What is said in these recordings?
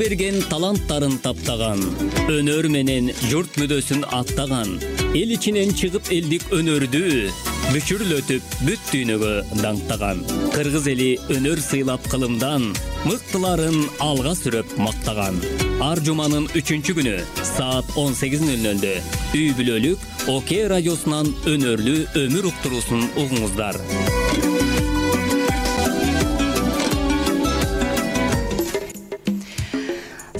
берген таланттарын таптаган, өнөр менен журт мүдөсүн аттаган, эл ичинен чыгып элдик өнөрдү бүчүрлөтүп бүт дүйнөгө даңктаган. Кыргыз эли өнөр сыйлап кылымдан, мыктыларын алга сүрөп мактаган. Ар жуманын 3-күнү саат 18:00 үй бүлөлүк ОК радиосунан өнөрлүү өмүр уктуруусун угуңуздар.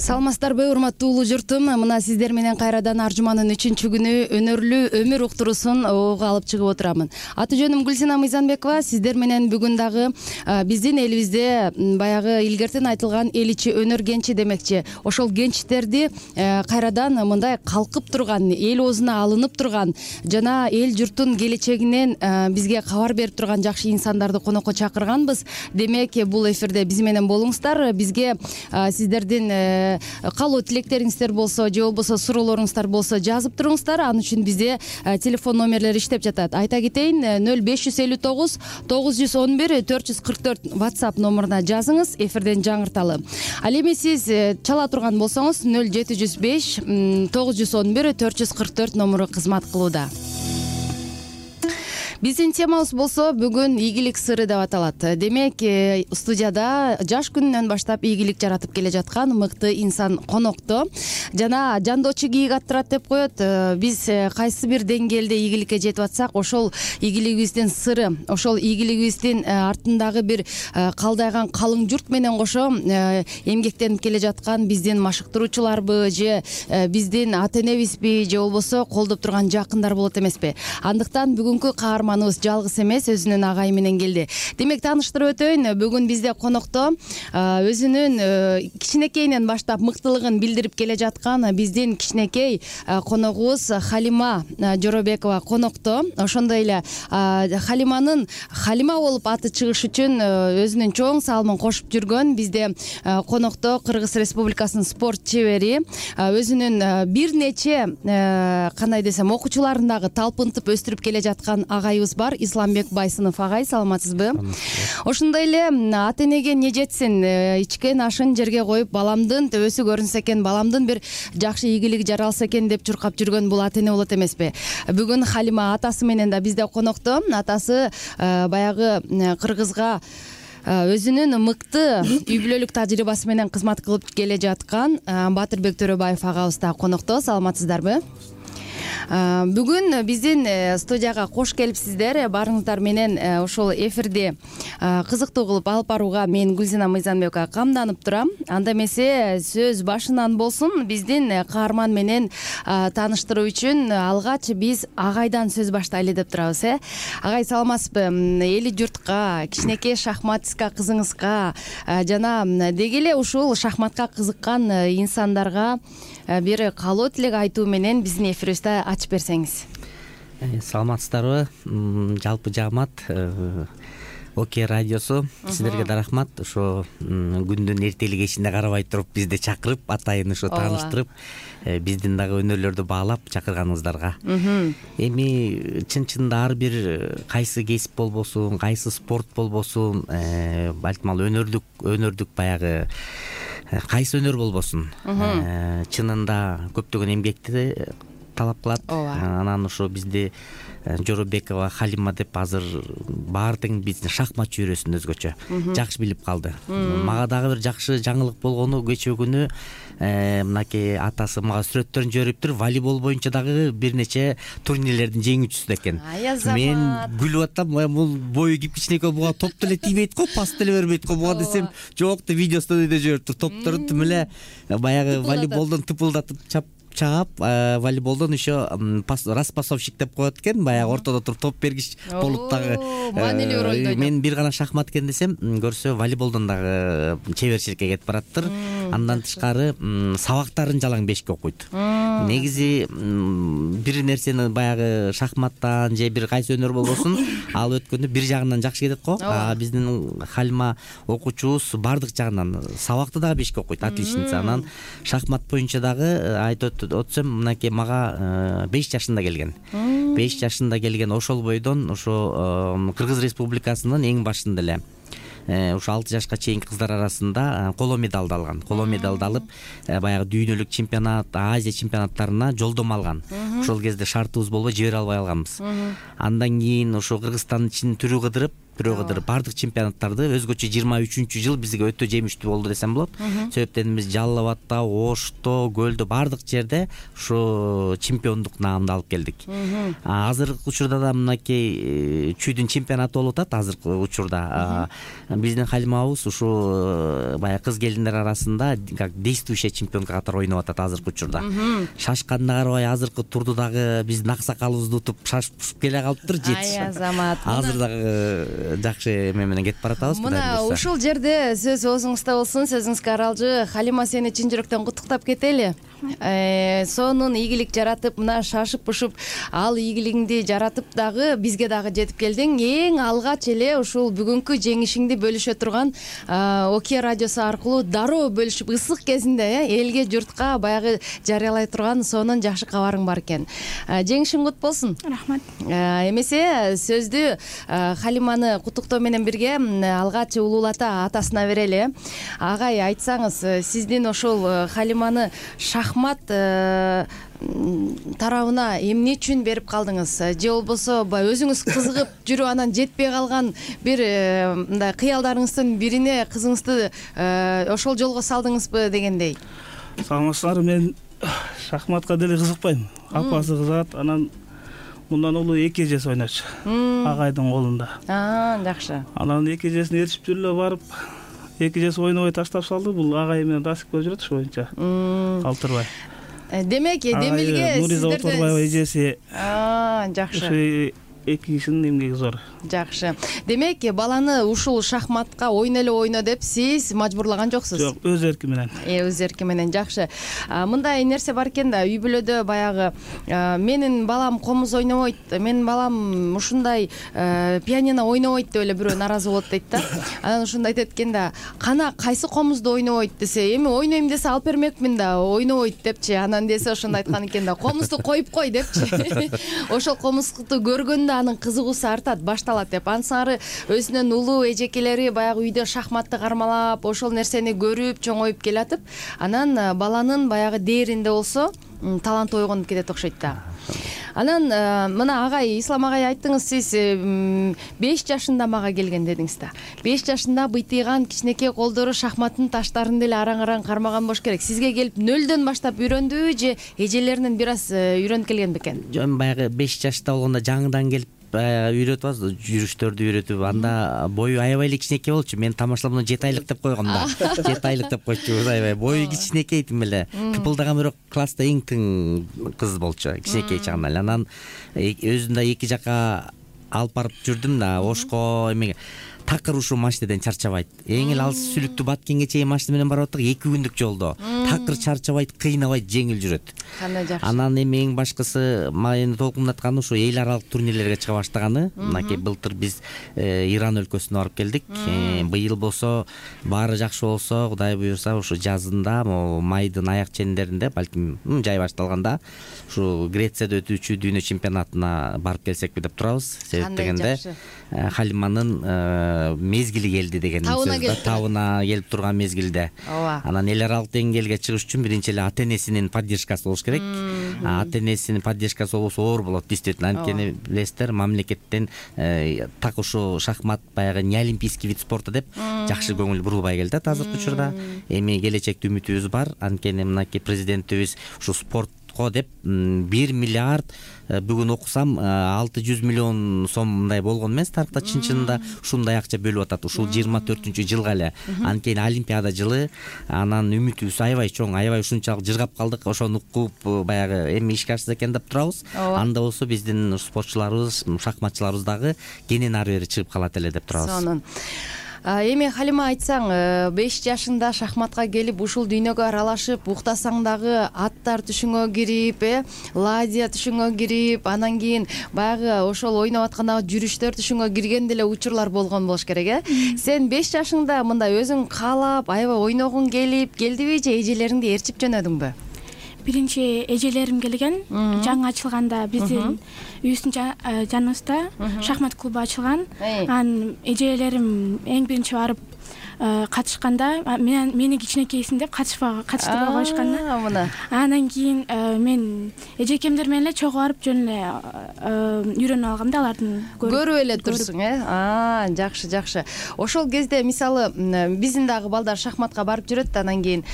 Саламатсыздарбы, урматтуу улуу журтум? Мына сиздер менен кайрадан ар жуманын 3-күнү өнөрлүү өмүр уктуруусун ого алып чыгып отурамын. Аты жөнүм Гүлсина Мыйзамбекова. Сиздер менен бүгүн дагы биздин элибизде баягы илгертен айтылган эл ичи өнөр кенчи демекчи. Ошол кенчтерди кайрадан мындай калкып турган, эл оозуна алынып турган жана эл журттун келечегинен бизге кабар берип турган жакшы инсандарды конокко чакырганбыз. Демек, бул эфирде биз менен болуңуздар. Бизге сиздердин калуу тилектериңиздер болсо же болбосо суроолоруңуздар болсо жазып туруңуздар. Ал үчүн бизде телефон номерлери иштеп жатат. Айта кетейин, 0559 911 444 WhatsApp номуруна жазыңыз, эфирден жаңырталы. Ал эми сиз чала турган болсоңуз 0705 911 444 номуру кызмат кылууда. Биздин темабыз болсо бүгүн ийгилик сыры деп аталат. Демек, студияда жаш күнүнөн баштап ийгилик жаратып келе жаткан мыкты инсан конокто. Жана жандоочу кийик аттырат деп коет. Биз кайсы бир деңгээлде ийгиликке жетип атсак, ошол ийгилигибиздин сыры, ошол ийгилигибиздин артындагы бир калдайган калың журт менен кошо эмгектенип келе жаткан биздин машыктыруучуларбы же биздин ата энебизби же болбосо колдоп турган жакындар болот эмеспи? Андыктан бүгүнкү каарманыбыз жалгыз эмес, өзүнүн агайы менен келди. Демек, тааныштырып өтөйүн, бүгүн бизде конокто өзүнүн кичинекейинен баштап мыктылыгын билдирип келе жаткан биздин кичинекей коногубуз Халима Жоробекова конокто. Ошондой эле Халиманын Халима болуп аты чыгыш үчүн өзүнүн чоң салымын кошуп жүргөн бизде конокто Кыргыз Республикасынын спорт чебери, өзүнүн бир нече кандай десем окуучуларын дагы талпынтып өстүрүп келе жаткан агайыбыз бар, Исламбек Байсынов агай. Саламатсызбы? Ошондой эле ата энеге не жетсин, ичкен ашын жерге коюп, баламдын төбөсү көрүнсө экен, баламдын бир жакшы ийгилиги жаралса экен деп чуркап жүргөн бул ата эне болот эмеспи? Бүгүн Халима атасы менен да бизде конокто. Атасы баягы Кыргызга өзүнүн мыкты үй бүлөлүк тажрыйбасы менен кызмат кылып келе жаткан Батырбек Төрөбаев агабыз да конокто. Саламатсыздарбы? Бүгүн биздин студияга кош келипсиздер. Барыңыздар менен ошол эфирди кызыктуу кылып алып барууга мен Гүлсина Мыйзамбекова камданып турам. Анда эмесе сөз башынан болсун. Биздин каарман менен тааныштыруу үчүн алгач биз агайдан сөз баштайлы деп турабыз. Агай, саламатсызбы? Эли журтка, кичинекей шахматистка кызыңызга жана деги эле ушул шахматка кызыккан инсандарга бир каалоо тилек айтуу менен биздин эфирибизде ачып берсеңиз. Саламатсыздарбы? Жалпы жаамат ОК радиосу, сиздерге да рахмат. Ошо күндүн эртели кечине карабай туруп бизди чакырып, атайын ошо тааныштырып, биздин дагы өнөрлөрдү баалап чакырганыңыздарга. Эми чын-чынында ар бир кайсы кесип болбосун, кайсы спорт болбосун, балтмал өнөрдүк баягы кайсы өнөр болбосун, чынында көптөгөн эмгекти талап кылат. Анан ошо бизди Жоробекова Халима деп азыр баары тең биздин шахмат чөйрөсүн өзгөчө жакшы билип калды. Мага дагы бир жакшы жаңылык болгону, кечээ күнү мынакей атасы мага сүрөттөрүн жибериптир. Волейбол боюнча дагы бир нече турнирлердин жеңүүчүсү экен. Мен күлүп атам, бул бою кичинекей буга топ деле тийбейт го, пас деле бербейт го буга десем, жок деп видеосун өйдө жибериптир. Топторун тим эле баягы волейболдон тыпылдатып чаап, волейболдон еще распасовщик деп коет экен, баягы ортодо туруп топ бергич болуп дагы. Мен бир гана шахмат экен десем, көрсө волейболдон дагы чеберчиликке кетип бараттыр. Андан тышкары сабактарын жалаң бешке окуйт. Негизи бир нерсени баягы шахматтан же бир кайсы өнөр болбосун, ал өткөндө бир жагынан жакшы кетет го. Биздин Халима окуучубуз бардык жагынан сабакты дагы бешке окуйт, отличница. Анан шахмат боюнча дагы айтып өтсөм, мынакей мага 5 жашында келген. 5 жашында келген ошол бойдон ошо Кыргыз Республикасынын эң башында эле ушу 6 жашка чейинки кыздар арасында коло медалды алган. Коло медалды алып баягы дүйнөлүк чемпионат, Азия чемпионаттарына жолдомо алган. Ошол кезде шартыбыз болбой жибере албай алганбыз. Андан кийин ошо Кыргызстандын ичин түрү кыдырып баардык чемпионаттарды өзгөчө 23-жыл бизге өтө жемиштүү болду десем болот. Себептен биз Жалал Абадта, Ошто, Көлдө баардык жерде ушу чемпиондук наамды алып келдик. Азыркы учурда да мынакей чүйдүн чемпионаты болуп атат. Азыркы учурда биздин Халимабыз ушу баягы кыз келиндер арасында как действующая чемпионка катары ойноп атат азыркы учурда. Шашканына карабай азыркы турду дагы биздин аксакалыбызды утуп шашып келе калыптыр жетиш. Ай Азамат. Азыр дагы жакшы эме менен кетип баратабыз. Мына ушул жерде сөз оозуңузда болсун, сөзүңүзгө аралжы. Халима, сени чын жүрөктөн куттуктап кетели. Сонун ийгилик жаратып, мына шашып-пушуп, ал ийгилигиңди жаратып дагы бизге дагы жетип келдиң. Эң алгач эле ушул бүгүнкү жеңишиңди бөлүшө турган Оке радиосу аркылуу дароо бөлүшүп, ысык кезинде элге, журтка баягы жарыялай турган сонун жакшы кабарың бар экен. Жеңишиң кут болсун. Рахмат. Эмесе сөздү Халиманы куттуктоо менен бирге алгач улуулата атасына берели. Агай, айтсаңыз, сиздин ошол Халиманы шахмат тарабына эмне үчүн берип калдыңыз? Же болбосо өзүңүз кызыгып жүрүп анан жетпей калган бир мындай кыялдарыңыздын бирине кызыңызды ошол жолго салдыңызбы дегендей? Саламатсыздарбы, мен шахматка деле кызыкпайм. Апасы кызыгат, анан мындан улуу эки эжеси ойночу агайдын колунда. Жакшы. Анан эки эжесине эришип жүрүп эле барып, эки эжеси ойнобой таштап салды. Бул агай менен дасикке жүрөт ушу боюнча. Калтырбай. Демек, Демилге Нуриза Оторбаева эжеси. Жакшы. Эки кишинин эмгеги зор. Жакшы. Демек, баланы ушул шахматка ойно деп сиз мажбурлаган жоксуз? Жок, өз эрки менен. Өз эрки менен, жакшы. Мындай нерсе бар экен да, үй бүлөдө баягы менин балам комуз ойнобойт, менин балам ушундай пианино ойнобойт деп эле бирөө наразы болот дейт да. Анан ошондо айтат экен да, кана кайсы комузду ойнобойт десе, эми ойнойм десе алып бермекмин да, ойнобойт депчи. Анан десе ошондо айткан экен да, комузду коюп кой депчи. Ошол комузду көргөндө анын кызыгуусу артат, башталат деп. Ансары өзүнүн улуу эжекелери баягы үйдө шахматты кармалап, ошол нерсени көрүп, чоңоюп келатып, анан баланын баягы дээринде болсо таланты ойгонуп кетет окшойт да. Анан мына агай, Ислам агай, айттыңыз, сиз 5 жашында мага келген дедиңиз да. 5 жашында быйтыйган кичинекей колдору шахматтын таштарын деле араң-араң кармаган болуш керек. Сизге келип 0дөн баштап үйрөндүбү же эжелеринен бир аз үйрөнүп келген бекен? Жөн баягы 5 жашта болгондо жаңыдан келип үйрөтүп атабыз, жүрүштөрдү үйрөтүп, анда бою аябай эле кичинекей болчу. Мен тамашалап 7 айлык деп койгом да. 7 айлык деп койчубуз, аябай бою кичинекей тим эле. Кыпылдаган бирок класста эң тың кыз болчу, кичинекей чагында эле. Анан өзүн да эки жака алып барып жүрдүм да, Ошко эмеге. Такыр ушул машинеден чарчабайт. Эң эле алыс сүлүктүү Баткенге чейин машина менен барып аттык, 2 күндүк жолдо. Такыр чарчабайт, кыйнабайт, жеңил жүрөт. Кандай жакшы. Анан эми эң башкысы мени толкундатканы ушу эл аралык турнирлерге чыга баштаганы. Мынакей былтыр биз Иран өлкөсүнө барып келдик. Быйыл болсо баары жакшы болсо, Кудай буйрса, ушу жазында, майдын аяк чендеринде, балким жай башталганда, ушу Грецияда өтүүчү дүйнө чемпионатына барып келсекпи деп турабыз. Себеп дегенде Халиманын мезгили келди деген сөз, табына келип турган мезгилде. Анан эл аралык деңгээлге чыгыш үчүн биринчи эле ата-энесинин поддержкасы болуш керек. Ата-энесинин поддержкасы болбосо оор болот, действительно. Анткени билесиздер, мамлекеттен так ушу шахмат баягы не олимпийский вид спорта деп жакшы көңүл бурулбай келатат азыркы учурда. Эми келечекте үмүтүбүз бар. Анткени мынакей президентибиз ушу спортко деп 1 миллиард, бүгүн окусам 600 миллион сом мындай болгон эмес, тарыхта чын-чынында ушундай акча бөлүп атат. Ушул 24-жылга эле. Анткени Олимпиада жылы, анан үмүтүбүз аябай чоң, аябай ушунчалык жыргап калдык. Ошону угуп баягы эми ишке ашса экен деп турабыз. Анда болсо биздин спортчуларыбыз, шахматчыларыбыз дагы кенен ары бери чыгып калат эле деп турабыз. Сонун. Эми Халима, айтсаң, 5 жашында шахматка келип, ушул дүйнөгө аралашып, уктасаң дагы аттар түшүңө кирип, ладья түшүңө кирип, анан кийин баягы ошол ойноп аткандагы жүрүштөр түшүңө кирген деле учурлар болгон болуш керек, Сен 5 жашыңда мындай өзүң каалап, аябай ойногуң келдиби же эжелериңди ээрчип жөнөдүңбү? биринчи эжелерим келген. Жаңы ачылганда биздин үйүбүздүн жаныбызда шахмат клубу ачылган. Анан эжелерим эң биринчи барып катышканда мени кичинекейсиң деп катыштырбай коюшкан да. Мына. Анан кийин мен эжекемдер менен эле чогуу барып жөн эле үйрөнүп алгам да, алардын көрүп эле турсуң, жакшы. Ошол кезде мисалы биздин дагы балдар шахматка барып жүрөт, анан кийин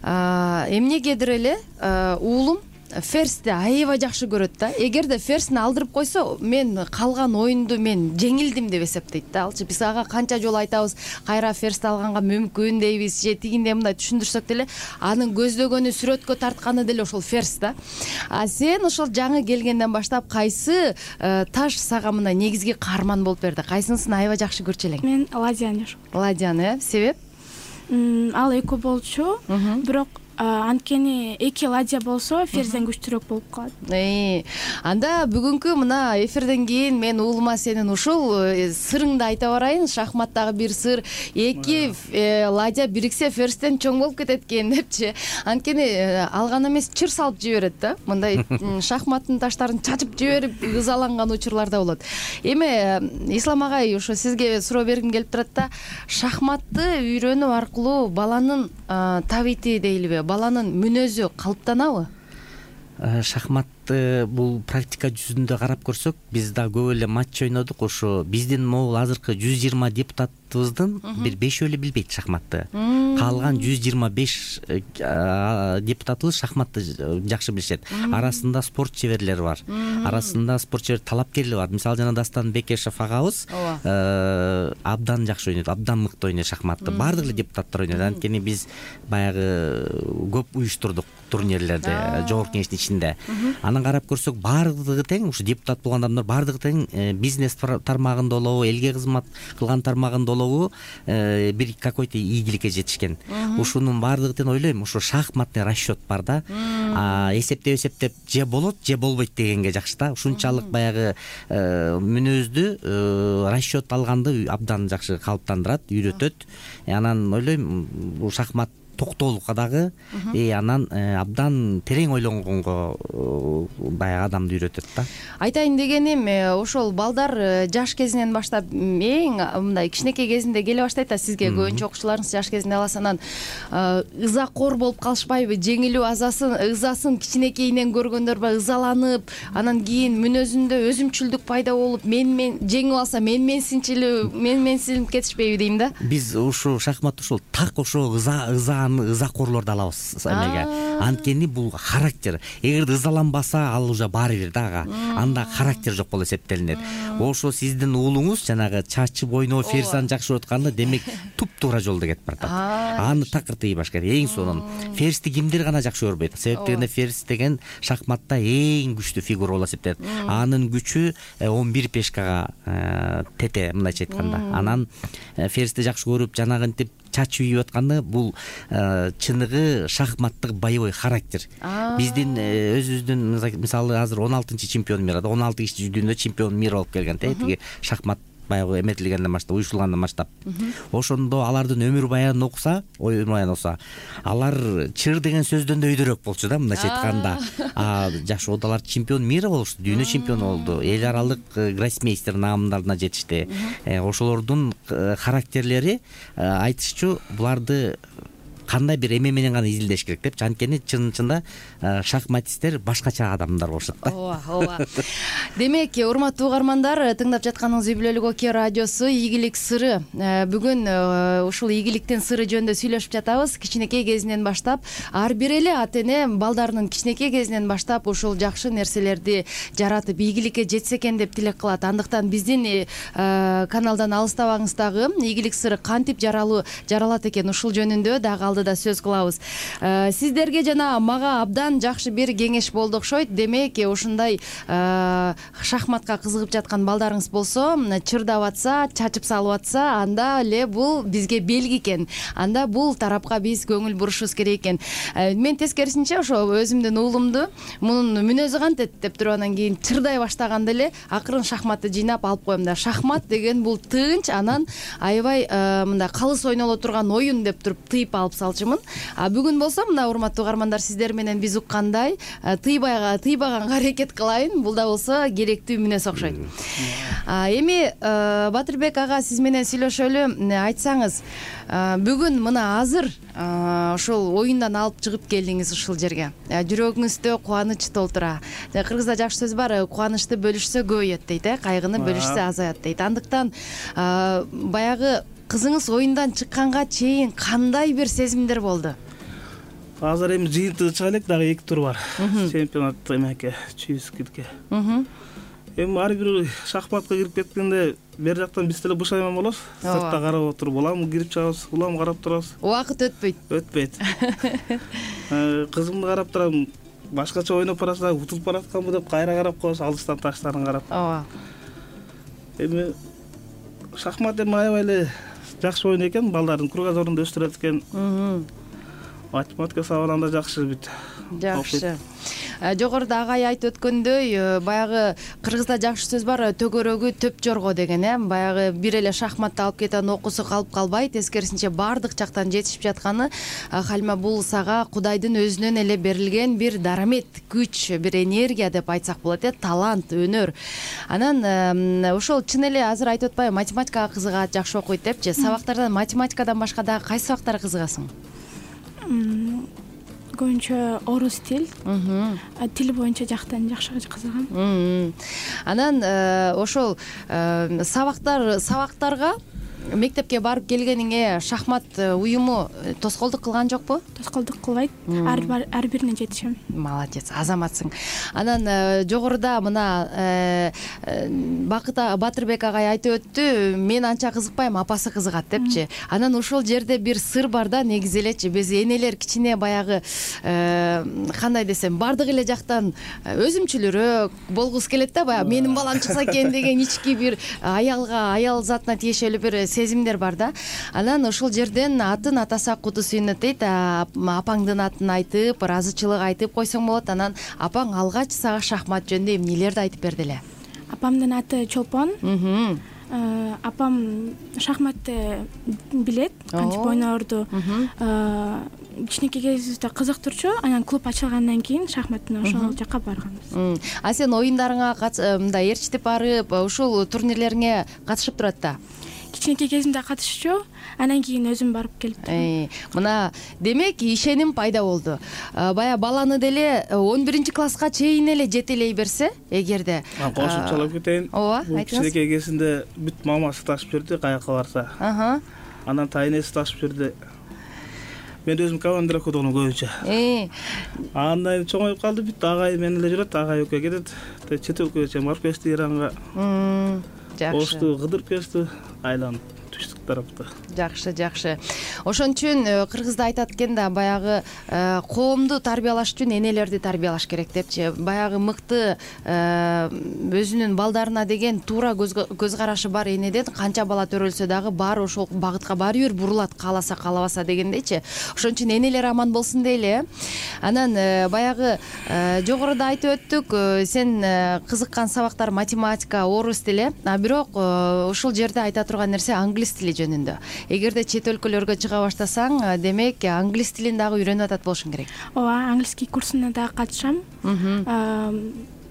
эмнегедир эле уулум ферсти аябай жакшы көрөт да. Эгерде ферсини алдырып койсо, мен калган оюнду мен жеңилдим деп эсептейт да. Алчы биз ага канча жолу айтабыз, кайра ферсти алганга мүмкүн дейбиз, же тигиндей мындай түшүндүрсөк деле, анын көздөгөнү, сүрөткө тартканы деле ошол ферс да. Сен ошол жаңы келгенден баштап кайсы таш сага мына негизги каарман болуп берди? Кайсынысын аябай жакшы көрчү элең? Мен ладьяны. Ладьяны, себеп? Ал экөө болчу, бирок анткени эки ладья болсо ферзден күчтүүрөөк болуп калат. Анда бүгүнкү мына эфирден кийин мен уулума сенин ушул сырыңды айта барайын. Шахматтагы бир сыр, эки ладья бириксе ферстен чоң болуп кетет экен депчи. Анткени алган эмес чыр салып жиберет да. Мындай шахматтын таштарын чачып жиберип ызаланган учурлар да болот. Эми Ислам агай, ошо сизге суроо бергим келип турат да. Шахматты үйрөнүү аркылуу баланын табити дейлиби, баланын мүнөзү калыптанабы? Шахматты бул практика жүзүндө карап көрсөк, биз да көп эле матч ойнодук. Ошо биздин могул азыркы 120 депутатыбыздын бир 5 эле билбейт шахматты. Калган 125 депутатыбыз шахматты жакшы билишет. Арасында спорт чеберлери бар. Арасында спорт чебер талапкерлери бар. Мисалы жана Дастан Бекешев агабыз абдан жакшы ойнойт, абдан мыкты ойнойт шахматты. Баардык эле депутаттар ойнойт. Анткени биз баягы көп уюштурдук турнирлерди жогорку кеңештин ичинде. Анан карап көрсөк, баардыгы тең, ушу депутат болгон адамдар баардыгы тең бизнес тармагында болобу, элге кызмат кылган тармагында болобу, бир какой-то ийгиликке жетишкен. Ушунун баардыгы тең ойлойм, ушу шахматный расчет бар да. Эсептеп же болот, же болбойт дегенге жакшы да. Ушунчалык баягы мүнөздү расчет алганды абдан жакшы калыптандырат, үйрөтөт. Анан ойлойм, бул шахмат токтоолукка дагы анан абдан терең ойлонгонго баягы адамды үйрөтөт да. Айтайын дегеним, ошол балдар жаш кезинен баштап эң мындай кичинекей кезинде келе баштайт да, сизге көбүнчө окуучуларыңыз жаш кезинде аласанан ызакор болуп калышпайбы? Жеңилүү ызасын кичинекейинен көргөндөр ба ызаланып, анан кийин мүнөзүндө өзүмчүлдүк пайда болуп, мен жеңип алса менменсинип кетишпейби дейм да. Биз ушу шахмат ушул так ошо ызакорлорду алабыз эмеге. Анткени бул характер. Эгерде ызаланбаса, ал уже баары бир да ага. Анда характер жок болуп эсептелинет. Ошо сиздин уулуңуз жанагы чачып ойноо, ферзаны жакшы өткөндө, демек туп-туура жолдо кетип баратат. Аны такыр тийбаш керек. Эң сонун. Ферзди кимдир гана жакшы көрбөйт. Себеп дегенде ферз деген шахматта эң күчтүү фигура болуп эсептелет. Анын күчү 11 пешкага тете, мындайча айтканда. Анан ферзди жакшы көрүп, жанагынтип чачып ийип атканда, бул чыныгы шахматтык боевой характер. Биздин өзүбүздүн мисалы азыр 16-чы чемпион мира, 16 киши жүзүндө чемпион мира болуп келген. Тиги шахмат баягы эметилгенден баштап, уюшулгандан баштап. Ошондо алардын өмүр баянын окуса, алар чыр деген сөздөн да өйдөрөөк болчу да, мындайча айтканда. Жашоодо алар чемпион мира болушту, дүйнө чемпиону болду, эл аралык гроссмейстер наамдарына жетишти. Ошолордун характерлери айтышчу, буларды кандай бир эме менен гана изилдеш керек деп. Анткени чын-чында шахматисттер башкача адамдар болушат да. Ооба. Демек, урматтуу угармандар, тыңдап жатканыңыз Үй бүлөлүк Окей радиосу ийгилик сыры. Бүгүн ушул ийгиликтин сыры жөнүндө сүйлөшүп жатабыз. Кичинекей кезинен баштап, ар бир эле ата эне балдарынын кичинекей кезинен баштап ушул жакшы нерселерди жаратып ийгиликке жетсе экен деп тилек кылат. Андыктан биздин каналдан алыстабаңыз дагы. Ийгилик сыры кантип жаралат экен, ушул жөнүндө дагы алдыда сөз кылабыз. Сиздерге жана мага абдан жакшы бир кеңеш болду окшойт. Демек, ушундай шахматка кызыгып жаткан балдарыңыз болсо, чырдап атса, чачып салып атса, анда эле бул бизге белги экен. Анда бул тарапка биз көңүл бурушубуз керек экен. Мен тескерисинче ошо өзүмдүн уулумду мунун мүнөзү кантет деп туруп, анан кийин чырдай баштаганда эле акырын шахматты жыйнап алып коем да. Шахмат деген бул тынч, анан аябай мындай калыс ойноло турган оюн деп туруп тыйып алып салчумун. Бүгүн болсо мына урматтуу угармандар, сиздер менен биз уккандай тыйбаганга аракет кылайын. Бул да болсо керектүү мүнөз окшойт. Эми Батырбек ага, сиз менен сүйлөшөлү. Айтсаңыз, бүгүн мына азыр ушул оюндан алып чыгып келдиңиз ушул жерге. Жүрөгүңүздө кубаныч толтура. Кыргызда жакшы сөз бар, кубанычты бөлүшсө көбөйөт дейт, кайгыны бөлүшсө азаят дейт. Андыктан баягы кызыңыз оюндан чыкканга чейин кандай бир сезимдер болду? Азыр эми жыйынтыгы чыга элек, дагы 2 тур бар. Чемпионат эметке, чүйүскүлкө. Эми ар бир шахматка кирип кеткенде бер жактан биз деле бушайман болобуз. Сыртта карап отуруп, улам кирип чыгабыз, улам карап турабыз. Убакыт өтпөйт. Кызымды карап турам, башкача ойноп бараса, утулуп баратканбы деп кайра карап коебуз, алыстан таштарын карап. Ооба. Эми шахмат эми аябай эле жакшы ойун экен, балдардын кругозорунда өстүрөт экен. Математика сабагында жакшы бүт. Жакшы. Жогоруда агай айтып өткөндөй, баягы кыргызда жакшы сөз бар, төгөрөгү төп жорго деген, баягы бир эле шахматты алып кетен окуусу калып калбай, тескерисинче бардык жактан жетишип жатканы Халима, бул сага Кудайдын өзүнөн эле берилген бир дарамет, күч, бир энергия деп айтсак болот, талант, өнөр. Анан ошол чын эле азыр айтып атпайбы, математикага кызыгат, жакшы окуйт депчи. Сабактардан математикадан башка дагы кайсы сабактарга кызыгасың? Көбүнчө орус тил, тил боюнча жактан жакшы кызыгам. Анан ошол сабактарга мектепке барып келгениңе шахмат уюму тоскоолдук кылган жокпу? Тоскоолдук кылбайт. Ар бирине жетишем. Молодец, азаматсың. Анан жогоруда мына Батырбек агай айтып өттү, мен анча кызыкпайм, апасы кызыгат депчи. Анан ошол жерде бир сыр бар да, негизи элечи. Биз энелер кичине баягы кандай десем, бардык эле жактан өзүмчүлүрөөк болгусу келет да, баягы менин балам чыкса экен деген ички бир аял затына тиешелүү бир сезимдер бар да. Анан ошол жерден атын атаса куту сүйүнөт дейт. Апаңдын атын айтып, ыраазычылык айтып койсоң болот. Анан апаң алгач сага шахмат жөнүндө эмнелерди айтып берди эле? Апамдын аты Чолпон. Апам шахматты билет, кантип ойнорду. Кичинекей кезибизде кызыктырчу. Анан клуб ачылгандан кийин шахматтын ошол жакка барганбыз. Сен оюндарыңа мындай ээрчитип барып, ушул турнирлериңе катышып турат да? Кичинекей кезимде катышчу, анан кийин өзүм барып келиптим. Мына демек ишеним пайда болду. Бая баланы деле 11-класска чейин эле жетелей берсе, эгерде кошумчалап кетейин. Ооба, айтыңыз. Кичинекей кезинде бүт мамасы ташып берди, каяка барса. Анан тайнеси ташып берди. Мен өзүм командир окудум көбүнчө. Андан чоңоюп калды, бүт агай менен эле жүрөт, агай экөө кетет. Чет өлкөгө чейин барып кетти, Иранга. Жакшы. Ошту, кыдырып кетти, айланып түштүк тарапта. Жакшы. Ошон үчүн кыргызда айтат экен да, баягы коомду тарбиялаш үчүн энелерди тарбиялаш керек депчи. Баягы мыкты өзүнүн балдарына деген туура көз карашы бар энеден канча бала төрөлсө дагы баары ошол багытка баары бир бурулат, кааласа каалабаса дегендейчи. Ошон үчүн энелер аман болсун дейли. Анан баягы жогоруда айтып өттүк, сен кызыккан сабактар математика, орус тили, бирок ошол жерде айта турган нерсе англис тили жөнүндө. Эгерде чет өлкөлөргө чыга баштасаң, демек англис тилин дагы үйрөнүп атат болушуң керек. Ооба, английский курсуна дагы катышам.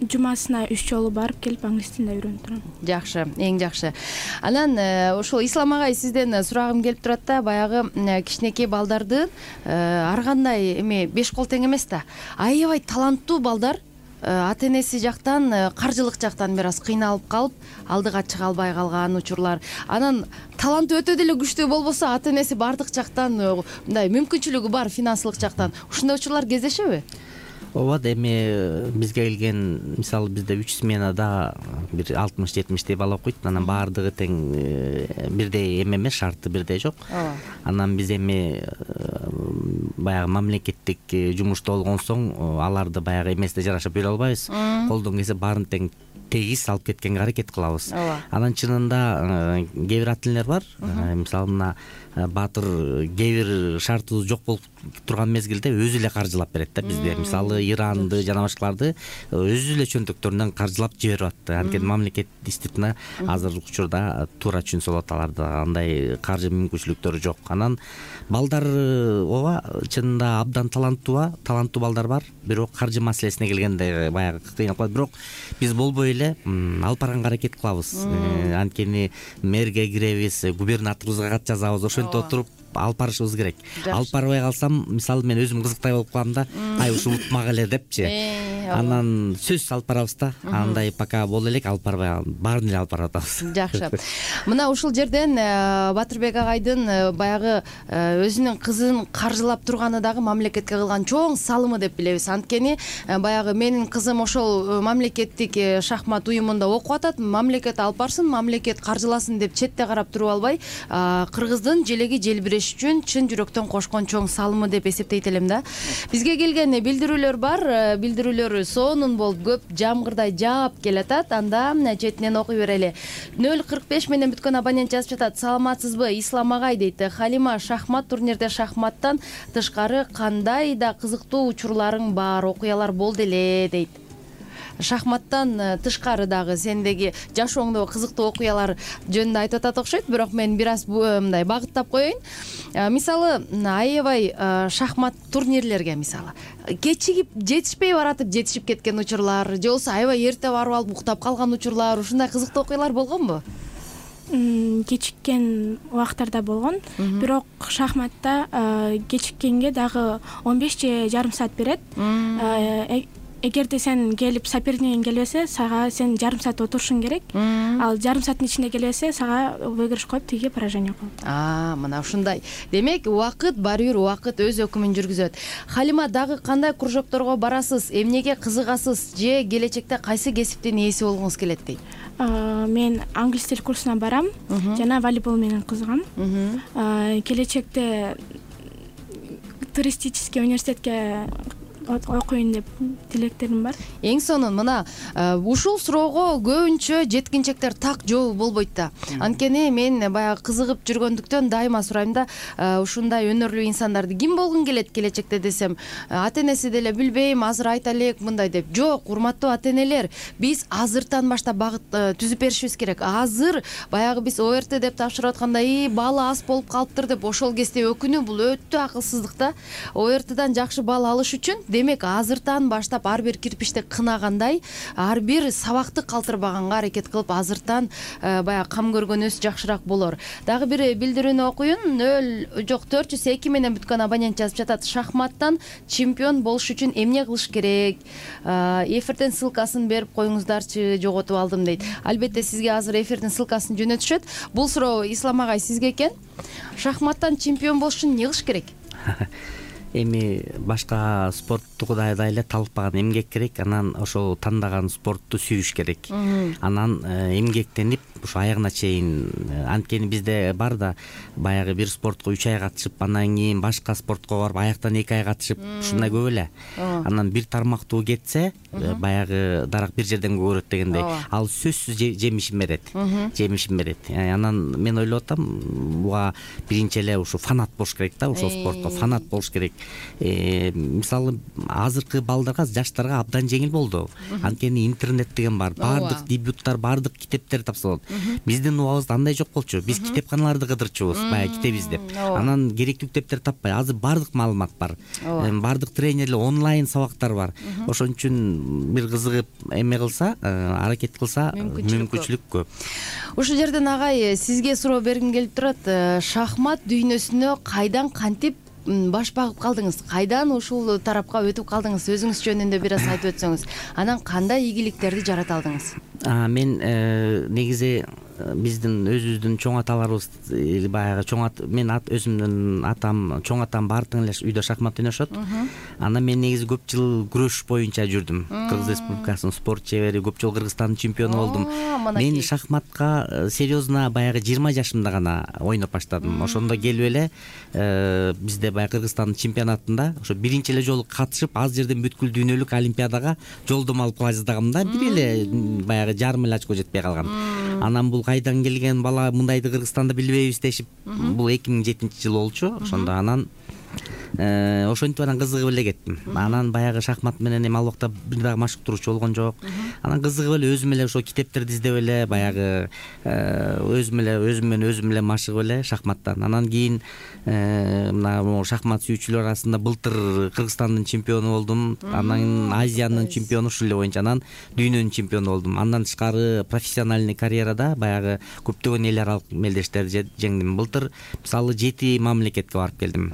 Жумасына 3 жолу барып келип англис тилин үйрөнүп турам. Жакшы, эң жакшы. Анан ошол Ислам агай, сизден сурагым келип турат да, баягы кичинекей балдарды ар кандай эми 5 кол тең эмес да, аябай таланттуу балдар ата энеси жактан, каржылык жактан бир аз кыйналып калып, алдыга чыга албай калган учурлар. Анан таланты өтө деле күчтүү болбосо, ата энеси бардык жактан мындай мүмкүнчүлүгү бар, финансылык жактан. Ушундай учурлар кездешеби? Ооба, эми бизге келген, мисалы бизде 3 сменада бир 60-70 бала окуйт. Анан баардыгы тең бирдей эмес, шарты бирдей жок. Анан биз эми баягы мамлекеттик жумушта болгон соң аларды баягы эместе жарашып бере албайбыз. Колдон келсе баарын тең тегиз алып кеткенге аракет кылабыз. Анан чынында кээ бир ата энелер бар, мисалы мына баатыр кээ бир шарты жок болуп турган мезгилде өзү эле каржылап берет да бизде. Мисалы Иранды жана башкаларды өзү эле чөнтөктөрүнөн каржылап жиберип атты. Анткени мамлекет действительно азыркы учурда туура түшүнсө болот, аларда андай каржы мүмкүнчүлүктөрү жок. Анан балдар ооба чынында абдан таланттуу балдар бар, бирок каржы маселесине келгенде баягы кыйналып калат. Бирок биз болбой эле алып барганга аракет кылабыз. Анткени мэрге киребиз, губернаторубузга кат жазабыз, ошентип отуруп алып барышыбыз керек. Алып барбай калсам, мисалы мен өзүм кызыктай болуп калам да, ушул утмак эле депчи. Анан сөзсүз алып барабыз да. Андай пока боло элек, алып барбай баарын эле алып барып атабыз. Жакшы. Мына ушул жерден Батырбек агайдын баягы өзүнүн кызын каржылап турганы дагы мамлекетке кылган чоң салымы деп билебиз. Анткени баягы менин кызым ошол мамлекеттик шахмат уюмунда окуп атат, мамлекет алып барсын, мамлекет каржыласын деп четте карап туруп албай, кыргыздын желеги желбиреш үчүн чын жүрөктөн кошкон чоң салымы деп эсептейт элем да. Бизге келген билдирүүлөр бар, билдирүүлөр сонун болуп көп жамгырдай жаап келатат. Анда четинен окуй берели. 045 менен бүткөн абонент жазып жатат. Саламатсызбы, Ислам агай дейт. Халима, шахмат турнирде шахматтан тышкары кандай да кызыктуу учурларың бар, окуялар болду эле дейт. Шахматтан тышкары дагы сендеги жашооңдо кызыктуу окуялар жөнүндө айтып атат окшойт, бирок мен бир аз мындай багыттап коеюн. Мисалы, аябай шахмат турнирлерге мисалы кечигип жетишпей баратып жетишип кеткен учурлар, же болбосо аябай эрте барып алып уктап калган учурлар, ушундай кызыктуу окуялар болгонбу? Кечиккен убактарда болгон, бирок шахматта кечиккенге дагы 15 же жарым саат берет. Эгерде сен келип сопернигиң келбесе, сага сен жарым саат отурушуң керек. Ал жарым сааттын ичинде келбесе, сага выигрыш коюп, тиги поражение коюп. Мына ушундай. Демек, убакыт баары бир убакыт өз өкүмүн жүргүзөт. Халима, дагы кандай кружокторго барасыз, эмнеге кызыгасыз, же келечекте кайсы кесиптин ээси болгуңуз келет дейт? Мен англис тил курсуна барам, жана волейбол менен кызыгам. Келечекте туристический университетке окуйн деп тилектерим бар. Эң сонун мына ушул суроого көбүнчө жеткинчектер так жооп болбойт да. Анткени мен баягы кызыгып жүргөндүктөн дайыма сурайм да, ушундай өнөрлүү инсандарды ким болгун келет келечекте десем, ата энеси деле билбейм, азыр айта элек мындай деп. Жок, урматтуу ата энелер, биз азыртан баштап багыт түзүп беришибиз керек. Азыр баягы биз ОРТ деп тапшырып атканда, балы аз болуп калыптыр деп ошол кезде өкүнүү, бул өтө акылсыздык да. ОРТдан жакшы бал алыш үчүн демек азыртан баштап ар бир кирпичти кынагандай, ар бир сабакты калтырбаганга аракет кылып, азыртан баягы кам көргөнүбүз жакшыраак болор. Дагы бир билдирүүнү окуйун. 402 менен бүткөн абонент жазып жатат. Шахматтан чемпион болуш үчүн эмне кылыш керек? Эфирден ссылкасын берип коюңуздарчы, жоготуп алдым дейт. Албетте сизге азыр эфирдин ссылкасын жөнөтүшөт. Бул суроо Ислам агай сизге экен. Шахматтан чемпион болуш үчүн эмне кылыш керек? Эми башка спорттукудай эле талпаган эмгек керек, анан ошол тандаган спортту сүйүш керек. Анан эмгектенип ушу аягына чейин, анткени бизде бар да баягы бир спортко 3 ай катышып, анан кийин башка спортко барып аяктан 2 ай катышып, ушундай көп эле. Анан бир тармактуу кетсе, баягы дарак бир жерден көгөрөт дегендей, ал сөзсүз жемишин берет. Жемишин берет. Анан мен ойлоп атам, буга биринчи эле ушу фанат болуш керек да, ошол спортко фанат болуш керек. Мисалы азыркы балдарга, жаштарга абдан жеңил болду. Анткени интернет деген бар, баардык дебюттар, баардык китептер тапсалат. Биздин убагыбызда андай жок болчу. Биз китепканаларды кыдырчубуз, баягы китеп издеп. Анан керектүү китептер таппай. Азыр баардык маалымат бар. Баардык тренерлер, онлайн сабактар бар. Ошон үчүн бир кызыгып эме кылса, аракет кылса, мүмкүнчүлүк көп. Ушул жерден агай сизге суроо бергим келип турат. Шахмат дүйнөсүнө кайдан кантип баш багып калдыңыз? Кайдан ушул тарапка өтүп калдыңыз? Өзүңүз жөнүндө бир аз айтып өтсөңүз. Анан кандай ийгиликтерди жарата алдыңыз? Мен негизи биздин өзүбүздүн чоң аталарыбыз баягы мен өзүмдүн атам чоң атам баары тең эле үйдө шахмат ойношот. Анан мен негизи көп жыл күрөш боюнча жүрдүм. Кыргыз Республикасынын спорт чебери, көп жыл Кыргызстандын чемпиону болдум. Мен шахматка серьезно баягы 20 жашымда гана ойноп баштадым. Ошондо келип эле бизде баягы Кыргызстандын чемпионатында ошо биринчи эле жолу катышып, аз жерден бүткүл дүйнөлүк олимпиадага жолдомо алып кала жаздагам да. Бир эле баягы жарым эле очко жетпей калган. Анан бул кайдан келген бала, мындайды Кыргызстанда билбейбиз дешип, бул 2007-жылы болчу. Ошондо анан ошентип анан кызыгып эле кеттим. Анан баягы шахмат менен эми ал убакта бир дагы машыктыруучу болгон жок. Анан кызыгып эле өзүм эле ошо китептерди издеп эле баягы өзүм эле машыгып эле шахматтан. Анан кийин мына шахмат сүйүүчүлөр арасында былтыр Кыргызстандын чемпиону болдум. Анан Азиянын чемпиону ушул эле боюнча, анан дүйнөнүн чемпиону болдум. Андан тышкары профессиональный карьерада баягы көптөгөн эл аралык мелдештерди жеңдим. Былтыр мисалы 7 мамлекетке барып келдим.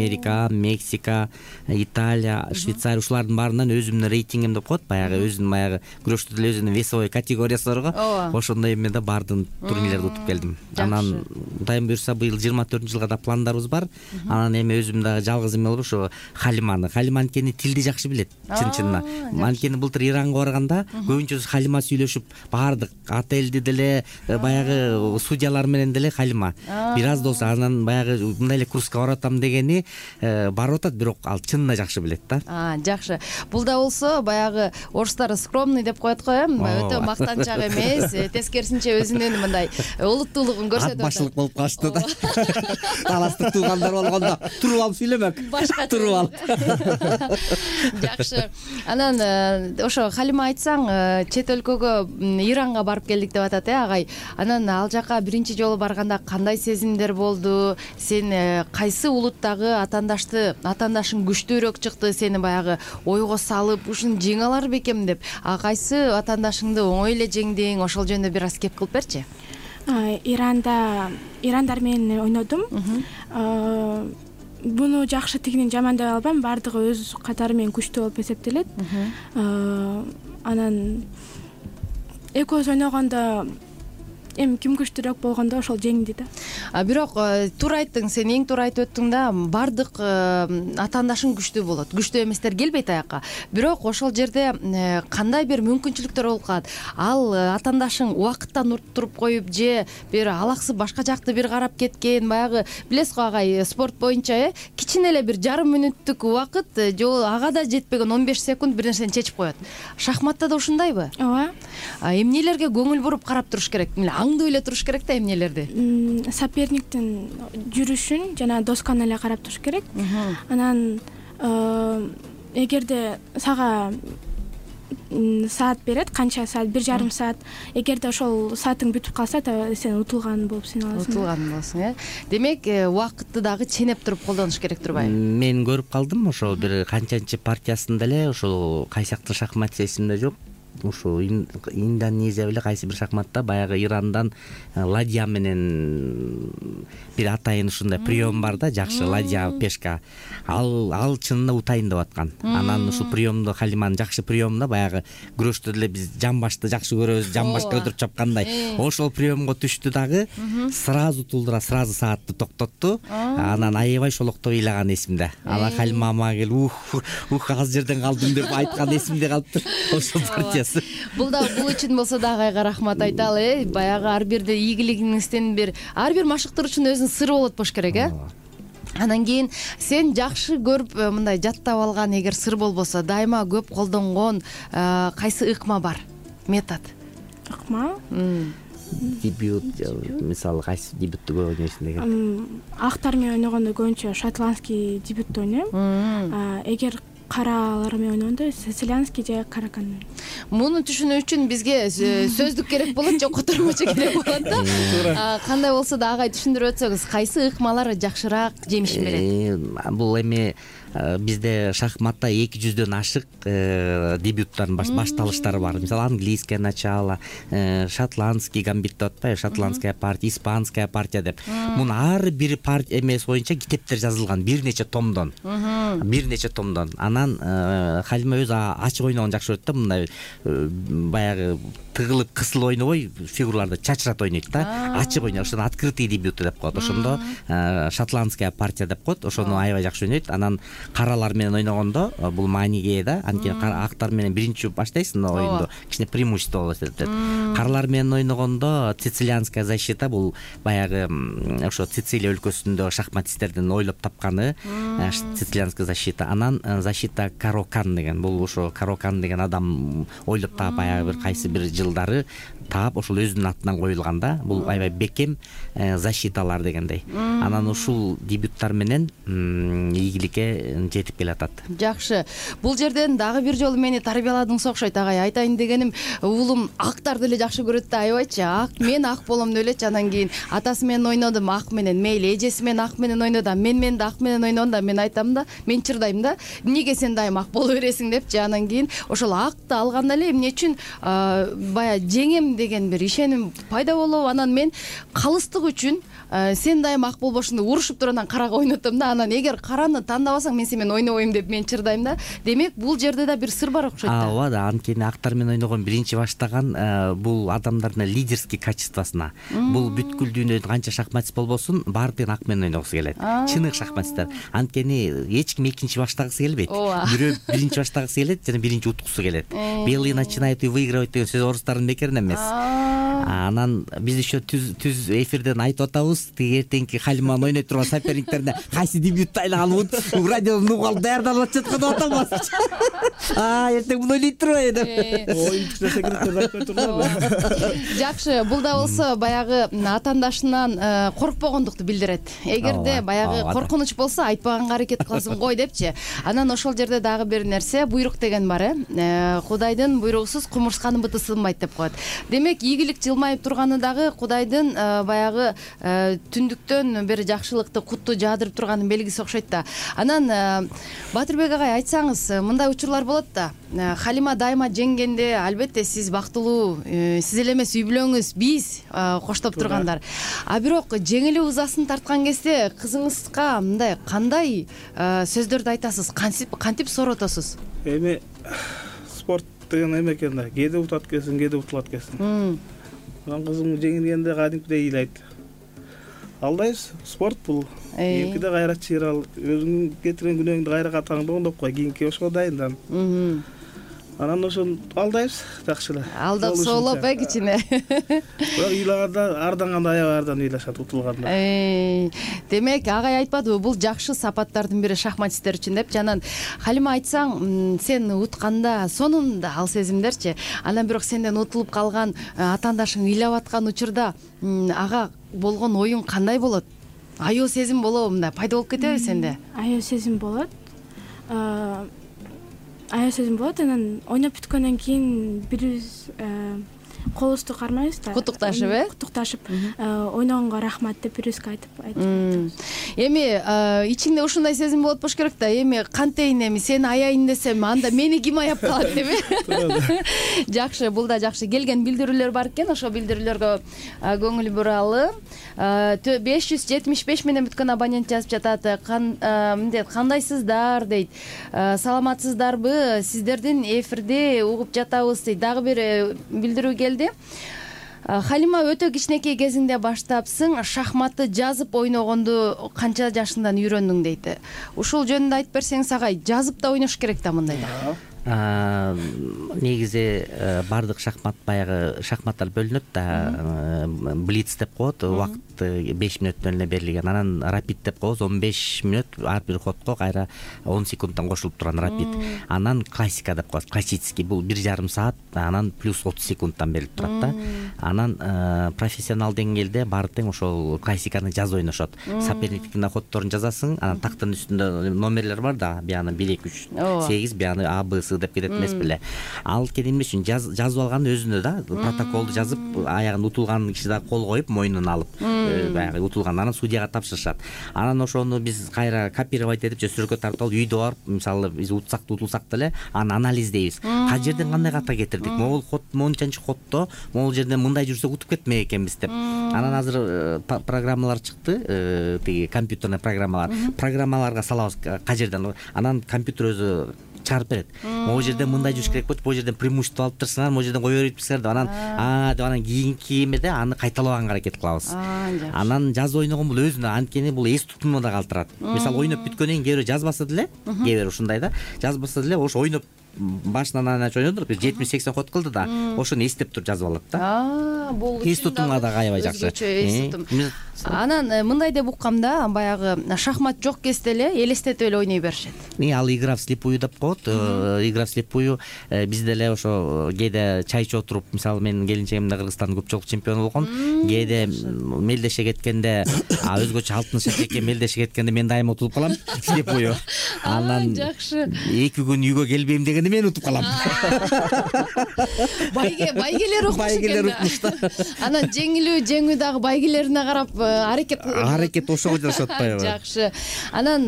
Америка, Мексика, Италия, Швейцария, ушулардын баарынан өзүмдүн рейтингим деп коет, баягы өзүнүн баягы күрөштө деле өзүнүн весовой категориясы барго. Ошондой эме да бардым, турнирлерди утуп келдим. Анан Кудайым буйрса быйыл 24-жылга да пландарыбыз бар. Анан эми өзүм дагы жалгыз эме болуп ошо Халиманкени тилди жакшы билет, чын-чынына. Анткени былтыр Иранга барганда көбүнчө Халима сүйлөшүп, баардык отелди деле баягы судьялар менен деле Халима. Бир аз да болсо анан баягы мындай эле курска баратам дегени барып атат, бирок ал чынында жакшы билет да. Жакшы. Бул да болсо баягы орустар скромный деп коет го, өтө мактанчак эмес, тескерисинче өзүнүн мындай улуттуулугун көрсөтөт. Ат башчылык болуп калышты да. Таластык туугандар болгондо туруп алып сүйлөмөк. Туруп алып. Жакшы. Анан ошо Халима айтсаң, чет өлкөгө Иранга барып келдик деп атат, агай. Анан ал жака биринчи жолу барганда кандай сезимдер болду? Сен кайсы улуттагы атаандашың күчтүүрөөк чыкты, сени баягы ойго салып, ушун жеңе алар бекем деп, кайсы атаандашыңды оңой эле жеңдиң? Ошол жөнүндө бир аз кеп кылып берчи. Ирандар менен ойнодум. Буну жакшы тигинен жамандай албайм, баардыгы өз катары менен күчтүү болуп эсептелет. Анан экөөбүз ойногондо эми ким күчтүүрөөк болгондо ошол жеңди да. Бирок туура айттың, сен эң туура айтып өттүң да, баардык атаандашың күчтүү болот. Күчтүү эместер келбейт аяка. Бирок ошол жерде кандай бир мүмкүнчүлүктөр болуп калат? Ал атаандашың убакыттан туруп коюп же бир алаксып башка жакты бир карап кеткен, баягы билесиз го агай, спорт боюнча кичине эле бир жарым мүнөттүк убакыт же ага да жетпеген 15 секунд бир нерсени чечип коет. Шахматта да ушундайбы? Ооба. Эмнелерге көңүл буруп карап туруш керек? Аңдып эле туруш керек да эмнелерди. Соперниктин жүрүшүн жана досканы эле карап туруш керек. Анан эгерде сага саат берет, канча саат, 1,5 саат, эгерде ошол саатың бүтүп калса, сен утулган болуп саналасың. Утулган болсуң, Демек, убакытты дагы ченеп туруп колдонуш керек турбайбы? Мен көрүп калдым, ошол бир канчанчы партиясында эле ошол кайсыяктуу шахмат эсимде жок. Ушу Индонезия беле кайсы бир шахматта баягы Ирандан ладья менен бир атайын ушундай прием бар да, жакшы ладья пешка. Ал чынында утайын деп аткан. Анан ушул приемду Халиманын жакшы приемунда баягы күрөштө деле биз жамбашты жакшы көрөбүз, жамбашка өтүрүп чапкандай. Ошол приемго түштү дагы, сразу тулдура, сразу саатты токтотту. Анан аябай шолоктоп ыйлаган эсимде. Анан Халима мага келип, аз жерден калдым деп айткан эсимде калыптыр. Ошол партия. Бул үчүн болсо да агайга рахмат айталы. Баягы ар бирде ийгилигиңизден ар бир машыктыруучунун өзүнүн сыры болот болуш керек, Анан кийин сен жакшы көрүп мындай жаттап алган эгер сыр болбосо, дайыма көп колдонгон кайсы ыкма бар? Метод. Ыкма? Дебют, мисалы кайсы дебютты көп ойнойсуң деген. Актар менен ойногондо көбүнчө шотландский дебютты ойнойм. Эгер каралар менен ойногондо сицилианский же каракан. Муну түшүнүү үчүн бизге сөздүк керек болот же котормочу керек болот да. Кандай болсо да агай түшүндүрүп өтсөңүз, кайсы ыкмалар жакшыраак жемишин берет? Бул эми бизде шахматта 200дөн ашык дебюттардын башталыштары бар. Мисалы английское начало, шотландский гамбит деп атпайбы, шотландская партия, испанская партия деп. Мунун ар бир партия эмеси боюнча китептер жазылган бир нече томдон. Анан анан Халима өзү ачык ойногон жакшы көрөт да, мындай баягы тыгылып кысылып ойнобой фигураларды чачырат ойнойт да, ачык ойнойт. Ошону открытый дебюты деп коет. Ошондо шотландская партия деп коет. Ошону аябай жакшы ойнойт. Анан каралар менен ойногондо бул маанийге да, анткени актар менен биринчи баштайсың оюнду, кичине преимущество болот деп. Каралар менен ойногондо сицилианская защита, бул баягы ошо Сицилия өлкөсүндө шахматисттердин ойлоп тапканы сицилианская защита. Анан защита Карокан деген, бул ошо Карокан деген адам ойлоп таап баягы бир кайсы бир жылдары таап ошол өзүнүн атынан коюлган да. Бул аябай бекем защиталар дегендей. Анан ушул дебюттар менен ийгиликке жетип келатат. Жакшы. Бул жерден дагы бир жолу мени тарбияладыңыз окшойт агай. Айтайын дегеним, уулум актарды эле жакшы көрөт да, аябайчы. Мен ак болом деп элечи. Анан кийин атасы менен ойнодум ак менен, мейли эжеси менен ак менен ойноду. Мен да ак менен ойногондо мен айтам да, мен чырдайм да. Эмнеге сен дайым ак боло бересиң депчи. Анан кийин ошол акты алганда эле эмне үчүн баягы жеңем деген бир ишеним пайда болуп, анан мен калыстык үчүн сен дайым ак болбошуң деп урушуп туруп анан карага ойнотом да. Анан эгер караны тандабасаң мен сен менен ойнобойм деп мен чырдайм да. Демек бул жерде да бир сыр бар окшойт да. Ооба да, анткени актар менен ойногон биринчи баштаган бул адамдардын лидерский качествосуна. Бул бүткүл дүйнөдө канча шахматист болбосун, баардыгын ак менен ойногусу келет. Чыныгы шахматисттер. Анткени эч ким экинчи баштагысы келбейт. Бирөө биринчи баштагысы келет жана биринчи уткусу келет. Белый начинает и выигрывать деген сөз орустардын бекеринен эмес. Анан биз еще түз эфирден айтып атабыз, эртеңки Халиманы ойной турган соперниктерине кайсы дебютты айлаган радиодон угуп алып даярдалып жатат деп атабыз. Эртең муну ойлойт турбайбы деп. Оюнчу секретарь айтпай турган. Жакшы, бул да болсо баягы атаандашынан коркпогондукту билдирет. Эгерде баягы коркунуч болсо айтпаганга аракет кыласың гой депчи. Анан ошол жерде дагы бир нерсе, буйрук деген бар, Кудайдын буйругусуз кумурсканын быты сынбайт деп коет. Демек, ийгилик жылмайып турганы дагы Кудайдын баягы түндүктөн бир жакшылыкты, кутту жаадырып турганын белгиси окшойт да. Анан Батырбек агай, айтсаңыз, мындай учурлар болот да. Халима дайыма жеңгенде, албетте сиз бактылуу, сиз эле эмес, үй бүлөңүз, биз коштоп тургандар. А бирок жеңилип узасын тарткан кезде кызыңызга мындай кандай сөздөрдү айтасыз? Кантип сооротосуз? Эми спорт деген эме экен да. Кээде утат экенсиң, кээде утулат экенсиң. Анан кызым жеңилгенде кадимкидей ыйлайт. Алдайбыз, спорт бул. Кийинкиде кайра чыйрал, өзүң кетирген күнөөңдү кайра катаңды оңдоп кой, кийинки ошого дайындан. Анан ошону алдайбыз, жакшы эле. Алдап соолоп кичине. Бирок ыйлаганда арданганда аябай ардан ыйлашат, утулганда. Демек, агай айтпадыбы, бул жакшы сапаттардын бири шахматисттер үчүн деп. Жанан Халима, айтсаң, сен утканда сонунда ал сезимдерчи. Анан бирок сенден утулуп калган атаандашың ыйлап аткан учурда ага болгон оюң кандай болот? Аял сезим болобу, мындай пайда болуп кетеби сенде? Аял сезим болот. Аял сезим болот. Анан ойноп бүткөндөн кийин бирибиз колубузду кармайбыз да. Куттукташып, Куттукташып, ойногонго рахмат деп бирибизге айтып. Эми ичиңде ушундай сезим болот болуш керек да. Эми кантейин, эми сени аяйын десем, анда мени ким аяп калат деби? Жакшы, бул да жакшы. Келген билдирүүлөр бар экен, ошо билдирүүлөргө көңүл буралы. 575 менен бүткөн абонент жазып жатат. Кандайсыздар дейт. Саламатсыздарбы? Сиздердин эфирде угуп жатабыз дейт. Дагы бир билдирүү келди. Халима, өтө кичинекей кезиңде баштапсың, шахматты жазып ойногонду канча жашыңдан үйрөндүң дейт. Ушул жөнүндө айтып берсеңиз агай, жазып да ойнош керек да мындайда. Негизи баардык шахмат баягы шахматтар бөлүнөт да. Блиц деп коет, убакыт 5 мүнөттөн эле берилген. Анан рапид деп коебуз, 15 мүнөт ар бир ходко кайра 10 секундтан кошулуп турган рапид. Анан классика деп коебуз, классический, бул 1,5 саат, анан плюс 30 секундтан берилип турат да. Анан профессионал деңгээлде баары тең ошол классиканы жазып ойношот. Соперниктин ходдорун жазасың, анан тактын үстүндө номерлер бар да, бияны 1 2 3 8, бияны А Б С деп кетет эмес беле. Ал эмне үчүн жазып алган өзүнө да, протоколду жазып, аягын утулган киши да кол коюп, мойнун алып, баягы утулган, анан судьяга тапшырышат. Анан ошону биз кайра копировать этип, сөзсүрөккө тартып алып, үйдө барып, мисалы биз утсак да утулсак деле, аны анализдейбиз. Кайсы жерден кандай ката кетирдик? Могул ход, мончанчы ходдо, могул жерден мындай жүрсөк утуп кетмек экенбиз деп. Анан азыр программалар чыкты, тиги компьютерный программалар. Программаларга салабыз кай жерден. Анан компьютер өзү чыгарып берет. Могу жерден мындай жүрүш керек болчу, бул жерден преимущество алып турсуңар, могу жерден кое берипсиңер деп анан деп анан кийинки эмеде аны кайталабаганга аракет кылабыз. Анан жазып ойногон бул өзүнө анткени бул эс тутумуна калтырат. Мисалы ойноп бүткөндөн кийин кээ бирөө жазбаса деле, кээ бирөө ушундай да, жазбаса деле ошо ойноп башынан аянча ойнодур, 70-80 ход кылды да, ошону эстеп туруп жазып алат да. Бул эс тутумга да аябай жакшы. Анан мындай деп уккам да, баягы шахмат жок кезде эле элестетип эле ойной беришет. Ал игра вслепую деп коет. Игра вслепую биз деле ошо кээде чай ичип отуруп, мисалы менин келинчегимде Кыргызстандын көпчүлүк чемпиону болгон, кээде мелдеше кеткенде, өзгөчө алтын шакекке мелдеше кеткенде мен дайыма утулуп калам вслепую. Анан жакшы. 2 күн үйгө келбейм дегенде мен утуп калам. Байгелер укмуш экен да. Анан жеңүү дагы байгелерине карап аракет ошого жарашып атпайбы? Жакшы. Анан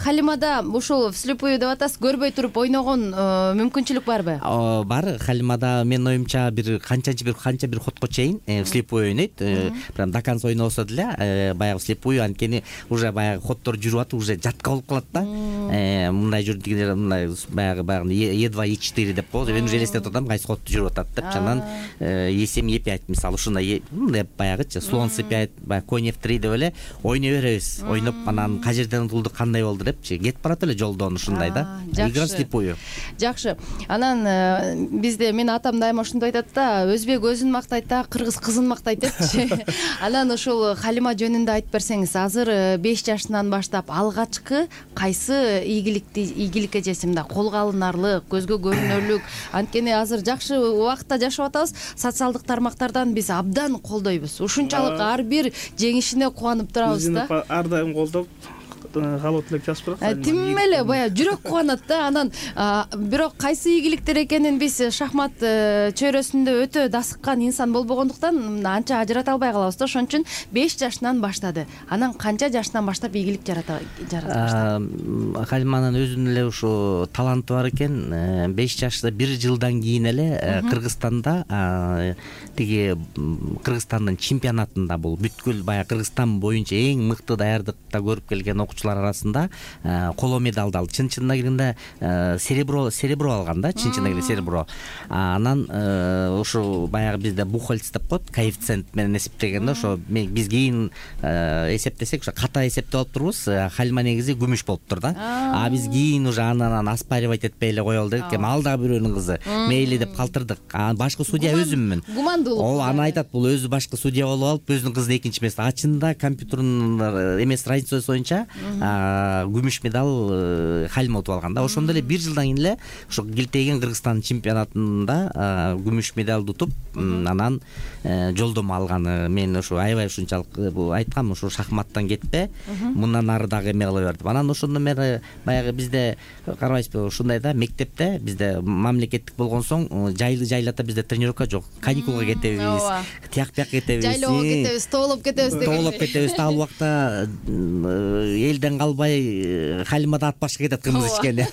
Халимада ушул вслепую деп атасыз, көрбөй туруп ойногон мүмкүнчүлүк барбы? Бар. Халимада менин оюмча канча бир ходко чейин вслепую ойнойт. Прям до конца ойнобосо деле баягы вслепую, анткени уже баягы ходдор жүрүп атып, уже жатка болуп калат да. Мындай жүрдүгүнөр мындай баягы E2, E4 деп коебуз. Мен уже элестетип атам кайсы ходду жүрүп атат деп. Анан E7, E5 мисалы ушундай деп баягычы слон C5, баягы конь F3 деп эле ойной беребиз. Ойноп анан кай жерден утулду, кандай болду депчи кетип барат эле жолдон ушундай да. Игра вслепую. Жакшы. Анан бизде менин атам дайыма ушундай айтат да, өзбек өзүн мактайт да, кыргыз кызын мактайт депчи. Анан ушул Халима жөнүндө айтып берсеңиз, азыр 5 жашынан баштап алгачкы кайсы ийгиликке жесимде колго алынарлык, көзгө көрүнөрлүк, анткени азыр жакшы убакытта жашап атабыз, социалдык тармактардан биз абдан колдойбуз. Ушунчалык ар бир жеңишине кубанып турабыз да. Ар дайым колдоп калып элек жазып турат. Тим эле баягы жүрөк кубанат да. Анан бирок кайсы ийгиликтер экенин биз шахмат чөйрөсүндө өтө дасыккан инсан болбогондуктан анча ажырата албай калабыз да. Ошон үчүн 5 жашынан баштады. Анан канча жашынан баштап ийгилик жарата баштады? Халиманын өзүнүн эле ушу таланты бар экен. 5 жашта 1 жылдан кийин эле Кыргызстанда тиги Кыргызстандын чемпионатында бул бүткүл баягы Кыргызстан боюнча эң мыкты даярдыкта көрүп келген окуучулар арасында коло медалды алды. Чын-чынына келгенде серебро алган да, чын-чынына келгенде серебро. Анан ошо баягы бизде Бухгольц деп коет, коэффициент менен эсептегенде ошо биз кийин эсептесек ошо ката эсептеп алып турбуз. Халима негизи күмүш болуптур да. Биз кийин уже анан оспаривать этпей эле коелу дедик. Ал дагы бирөөнүн кызы. Мейли деп калтырдык. Башкы судья өзүммүн. Ол аны айтат, бул өзү башкы судья болуп алып, өзүнүн кызын экинчи эмес. Ачында компьютердун эмес разницасы боюнча күмүш медаль Халима утуп алган да. Ошондо эле 1 жылдан кийин эле ошо келтейген Кыргызстан чемпионатында күмүш медалды утуп, анан жолдомо алганы. Мен ошо аябай ушунчалык айткам, ошо шахматтан кетпе, мындан ары дагы эме кыла бер деп. Анан ошондон бери баягы бизде карабайсызбы, ушундай да, мектепте бизде мамлекеттик болгон соң жайлата бизде тренировка жок. Каникулга кетебиз, тияк-бияк кетебиз, жайлоого кетебиз, тоолоп кетебиз деген. Тоолоп кетебиз. Ал убакта элден калбай Халимада ат башка кетет кымыз ичкенде.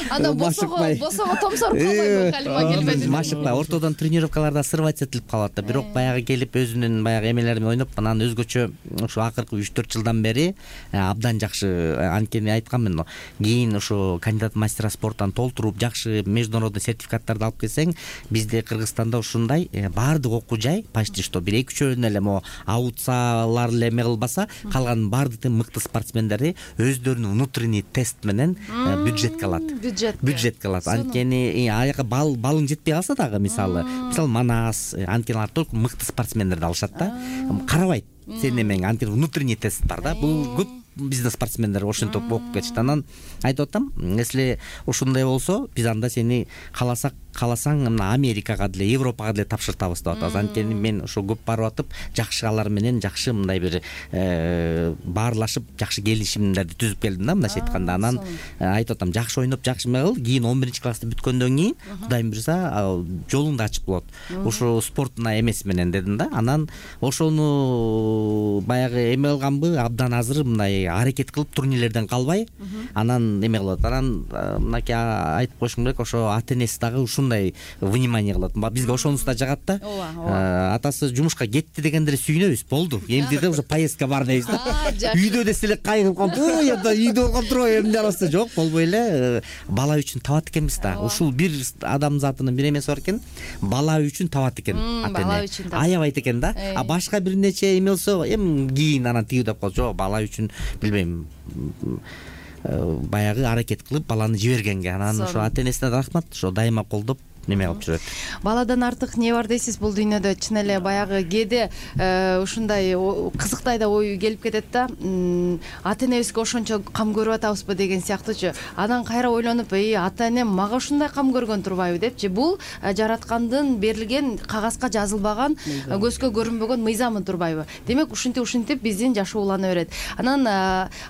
Анан босого томсоруп калбайбы Халима келбеди? Машыкпай, ортодон тренировкаларда сырвать этилип калат да. Бирок баягы келип өзүнүн баягы эмелери менен ойноп, анан өзгөчө ошо акыркы 3-4 жылдан бери абдан жакшы. Анткени айткам мен, кийин ошо кандидат мастера спорттан толтуруп жакшы международный сертификаттарды алып келсең, бизде Кыргызстанда ушундай баардык окуу жай почти что бир 2-3 эле мо аутсалар эле эме кылбаса, калган баардык мыкты спортсмендери өздөрүнүн внутренний тест менен бюджетке алат. Бюджетке алат. Анткени аяка балың жетпей калса дагы, мисалы Манас, анткени алар только мыкты спортсмендерди алышат да. Карабайт сенин эмең, анткени внутренний тест бар да. Бул көп биздин спортсмендер ошентип окуп кетишти. Анан айтып атам, если ушундай болсо, биз анда сени кааласаң мына Америкага деле, Европага деле тапшыртабыз деп атабыз. Анткени мен ошо көп барып атып, жакшы алар менен жакшы мындай бир баарлашып, жакшы келишимдерди түзүп келдим да, мындайча айтканда. Анан айтып атам, жакшы ойноп, жакшы эме кыл, кийин 11-классты бүткөндөн кийин Кудайым буйрса жолуң да ачык болот. Ошо спортуна эмес менен дедим да. Анан ошону баягы эме кылганбы, абдан азыр мындай ушундай аракет кылып турнирлерден калбай анан эме кылат. Анан мынакей айтып коюшум керек, ошо ата энеси дагы ушундай внимание кылат. Бизге ошонусу да жагат да. Атасы жумушка кетти дегенде сүйүнөбүз, болду. Эмди да уже поездка бар дейбиз да. Үйдө десе эле кайгырып калып, үйдө болгон турбайбы эмне арасы жок, болбой эле бала үчүн табат экенбиз да. Ушул бир адам затынын бир эмеси бар экен, бала үчүн табат экен ата эне. Аябайт экен да. А башка бир нече эме болсо, кийин анан тиги деп калат. Жок, бала үчүн билбейм, баягы аракет кылып баланы жибергенге. Анан ошо ата энесине рахмат, ошо дайыма колдоп неме кылып жүрөт. Баладан артык эмне бар дейсиз бул дүйнөдө? Чын эле баягы кээде ушундай кызыктай да ой келип кетет да. Ата энебизге ошончо кам көрүп атабызбы деген сыяктуучу. Анан кайра ойлонуп, ата энем мага ушундай кам көргөн турбайбы депчи. Бул жараткандын берилген, кагазга жазылбаган, көзгө көрүнбөгөн мыйзамы турбайбы? Демек ушинтип биздин жашоо улана берет. Анан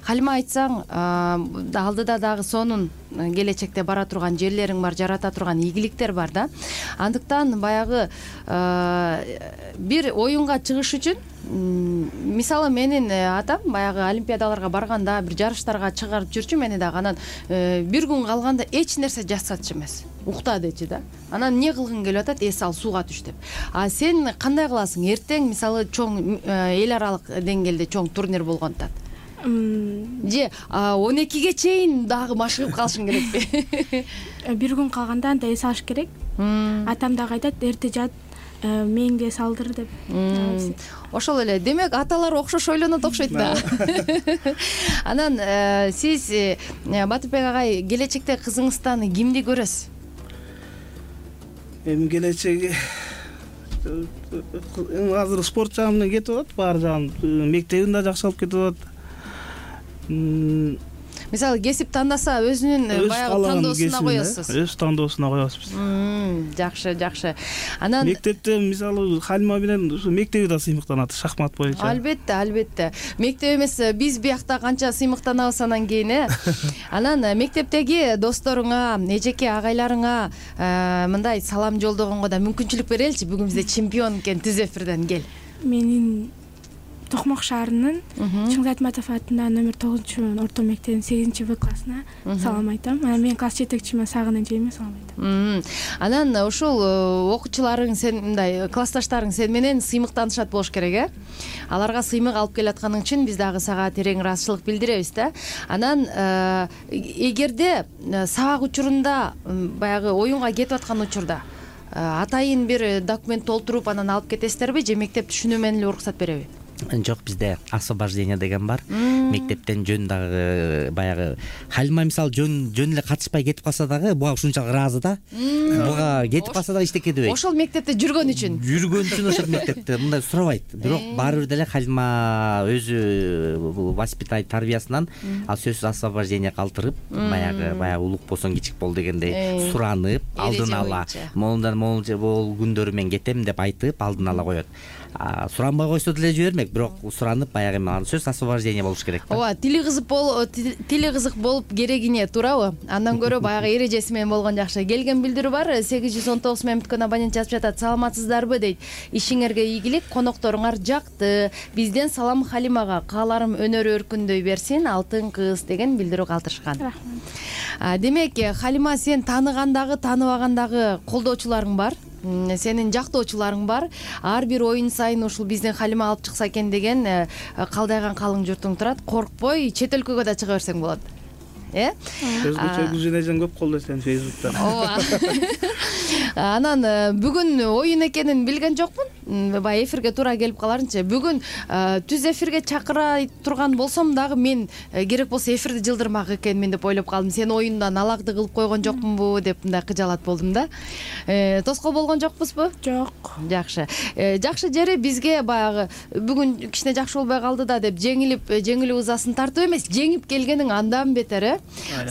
Халима айтсаң, алдыда дагы сонун келечекте бара турган жерлериң бар, жарата турган ийгиликтер бар да. Андыктан баягы бир оюнга чыгыш үчүн, мисалы менин атам баягы олимпиадаларга барганда, бир жарыштарга чыгарып жүрчү мени дагы. Анан бир күн калганда эч нерсе жасатчу эмес, укта дечи да. Анан эмне кылгың келип атат? Сал сууга түш деп. А сен кандай кыласың? Эртең мисалы чоң эл аралык деңгээлде чоң турнир болгон атат. Же 12ге чейин дагы машыгып калышың керекпи? Бир күн калганда анда эс алыш керек. Атам дагы айтат, эрте жат, мээңди эс алдыр деп. Ошол эле. Демек аталар окшош ойлонот окшойт да. Анан сиз Батырбек агай келечекте кызыңыздан кимди көрөсүз? Эми келечеги азыр спорт жагы менен кетип атат, баары жагын мектебин да жакшы алып кетип атат. Мисалы кесип тандаса өзүнүн баягы тандоосуна коесуз. Өз тандоосуна коебуз. Жакшы, жакшы. Анан мектепте мисалы Халима менен ушу мектеби да сыймыктанат шахмат боюнча. Албетте, албетте. Мектеп эмес, биз биякта канча сыймыктанабыз анан кийин, Анан мектептеги досторуңа, эжеке агайларыңа мындай салам жолдогонго да мүмкүнчүлүк береличи. Бүгүн бизде чемпион экен Түз эфирден кел. Менин Токмок шаарынын Чыңгыз Айтматов атындагы номер 9 орто мектебинин 8-В классына салам айтам. Анан мен класс жетекчиме Сагын эжеме салам айтам. Анан ушул окуучуларың, сен мындай классташтарың сен менен сыймыктанышат болуш керек, Аларга сыймык алып келатканың үчүн биз дагы сага терең ыраазычылык билдиребиз да. Анан эгерде сабак учурунда баягы оюнга кетип аткан учурда атайын бир документ толтуруп анан алып кетесиздерби же мектеп түшүнүү менен эле уруксат береби? Жок, бизде освобождение деген бар. Мектептен жөн дагы баягы Халима мисалы жөн эле катышпай кетип калса дагы буга ушунчалык ыраазы да. Буга кетип калса дагы эчтеке дебейт. Ошол мектепте жүргөн үчүн ошол мектепте мындай сурабайт. Бирок баары бир деле Халима өзү воспитать тарбиясынан ал сөзсүз освобождение калтырып, баягы улук болсоң кичик бол дегендей суранып, алдын ала могул күндөрү мен кетем деп айтып алдын ала коет. Суранбай койсо деле жибермек, бирок суранып баягы анын сөз освобождение болуш керек да. Ооба, тили кызык болуп керегине туурабы? Андан көрө баягы эрежеси менен болгон жакшы. Келген билдирүү бар, 819 менен бүткөн абонент жазып жатат. Саламатсыздарбы дейт. Ишиңерге ийгилик, конокторуңар жакты. Бизден салам Халимага, кааларым өнөрү өркүндөй берсин, алтын кыз деген билдирүү калтырышкан. Рахмат. Демек, Халима, сен тааныгандагы, тааныбагандагы колдоочуларың бар. Сенин жактоочуларың бар. Ар бир оюн сайын ушул биздин Халима алып чыкса экен деген калдайган калың журтуң турат. Коркпой, чет өлкөгө да чыга берсең болот. Өзгөчө күзүнөжөн көп колдойсуң Facebook'та. Ооба. Анан бүгүн оюн экенин билген жокмун. Бай эфирге туура келип каларынчы. Бүгүн Түз эфирге чакыра турган болсом дагы мен керек болсо эфирди жылдырмак экенмин деп ойлоп калдым. Сен оюндан алакты кылып койгон жокмунбу деп мындай кыжалат болдум да. Тоскоол болгон жокпузбу? Жок. Жакшы. Жакшы жери бизге баягы бүгүн кичине жакшы болбой калды да деп жеңилип ызасын тартып эмес, жеңип келгениң андан бетер,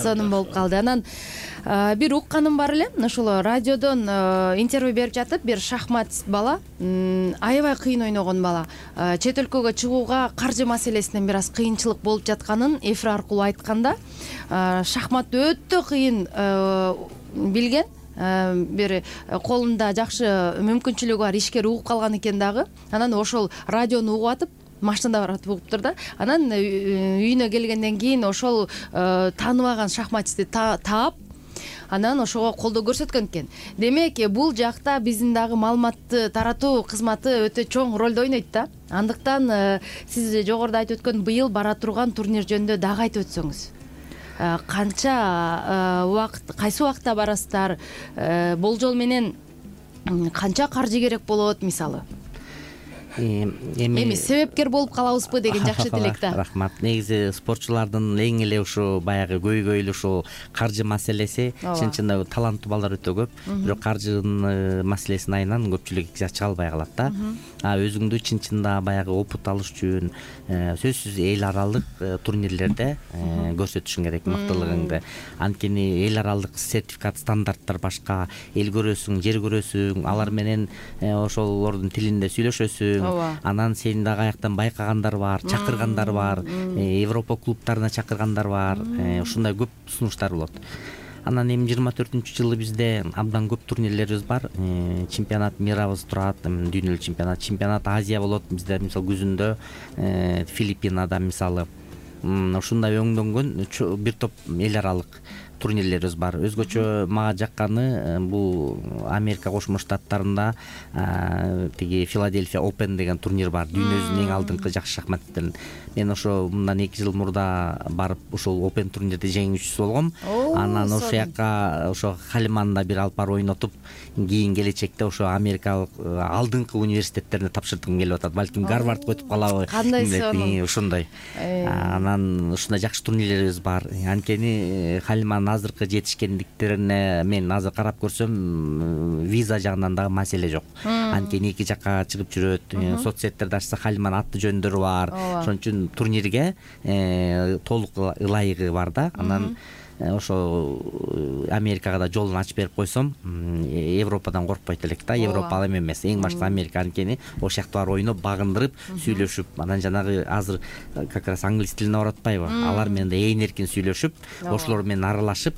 сонун болуп калды. Анан бир укканым бар эле, ушул радиодон интервью берип жатып, бир шахматист бала, аябай кыйын ойногон бала, чет өлкөгө чыгууга каржы маселесинен бир аз кыйынчылык болуп жатканын эфир аркылуу айтканда, шахмат өтө кыйын билген, бир колунда жакшы мүмкүнчүлүгү бар ишкер угуп калган экен дагы. Анан ошол радиону угуп атып, машинада баратып угуптур да. Анан үйүнө келгенден кийин ошол тааныбаган шахматчысты таап анан ошого колдоо көрсөткөн экен. Демек, бул жакта биздин дагы маалыматты таратуу кызматы өтө чоң ролду ойнойт да. Андыктан сиз жогоруда айтып өткөн быйыл бара турган турнир жөнүндө дагы айтып өтсөңүз. Канча убакыт, кайсы убакытта барасыздар? Болжол менен канча каржы керек болот мисалы? Эми себепкер болуп калабызбы деген жакшы тилек да. Рахмат. Негизи спортчулардын эң эле ушу баягы көйгөйлү ушул каржы маселеси. Чын-чында таланттуу балдар өтө көп, бирок каржынын маселесин айынан көпчүлүк чыга албай калат да. Өзүңдү чын-чында баягы опыт алыш үчүн сөзсүз эл аралык турнирлерде көрсөтүшүң керек мыктылыгыңды. Анткени эл аралык сертификат, стандарттар башка, эл көрөсүң, жер көрөсүң, алар менен ошолордун тилинде сүйлөшөсүң. Анан сени дагы аяктан байкагандар бар, чакыргандар бар, Европа клубтарына чакыргандар бар. Ушундай көп сунуштар болот. Анан эми 24-жылы бизде абдан көп турнирлерибиз бар. Чемпионат мирабыз турат, дүйнөлүк чемпионат Азия болот бизде, мисалы күзүндө Филиппинада мисалы. Ушундай өңдөнгөн бир топ эл аралык турнирлерибиз бар. Өзгөчө мага жакканы бул Америка Кошмо Штаттарында тиги Филадельфия Open деген турнир бар. Дүйнөбүздүн эң алдыңкы жакшы шахматчыларын. Мен ошо мындан 2 жыл мурда барып ошол Open турнирде жеңүүчүсү болгом. Анан ошол жака ошо Халиманда бир алып барып ойнотуп, кийин келечекте ошо Америкалык алдыңкы университеттерине тапшырткым келип атат. Балким Гарвардга өтүп калабы. Кандай сонун. Ушундай. Анан ушундай жакшы турнирлерибиз бар. Анткени Халиманын азыркы жетишкендиктерине мен азыр карап көрсөм, виза жагынан дагы маселе жок. Анткени эки жакка чыгып жүрөт. Соцсеттерде ачса Халиманын аты жөндөрү бар. Ошон үчүн турнирге толук ылайыгы бар да. Анан ошо Америкага да жолун ачып берип койсом, Европадан коркпойт элек да. Европа ал эме эмес, эң башта Америка. Анткени ошол жакта барып ойноп, багындырып, сүйлөшүп, анан жанагы азыр как раз англис тилине барып атпайбы? Алар менен да ээн эркин сүйлөшүп, ошолор менен аралашып,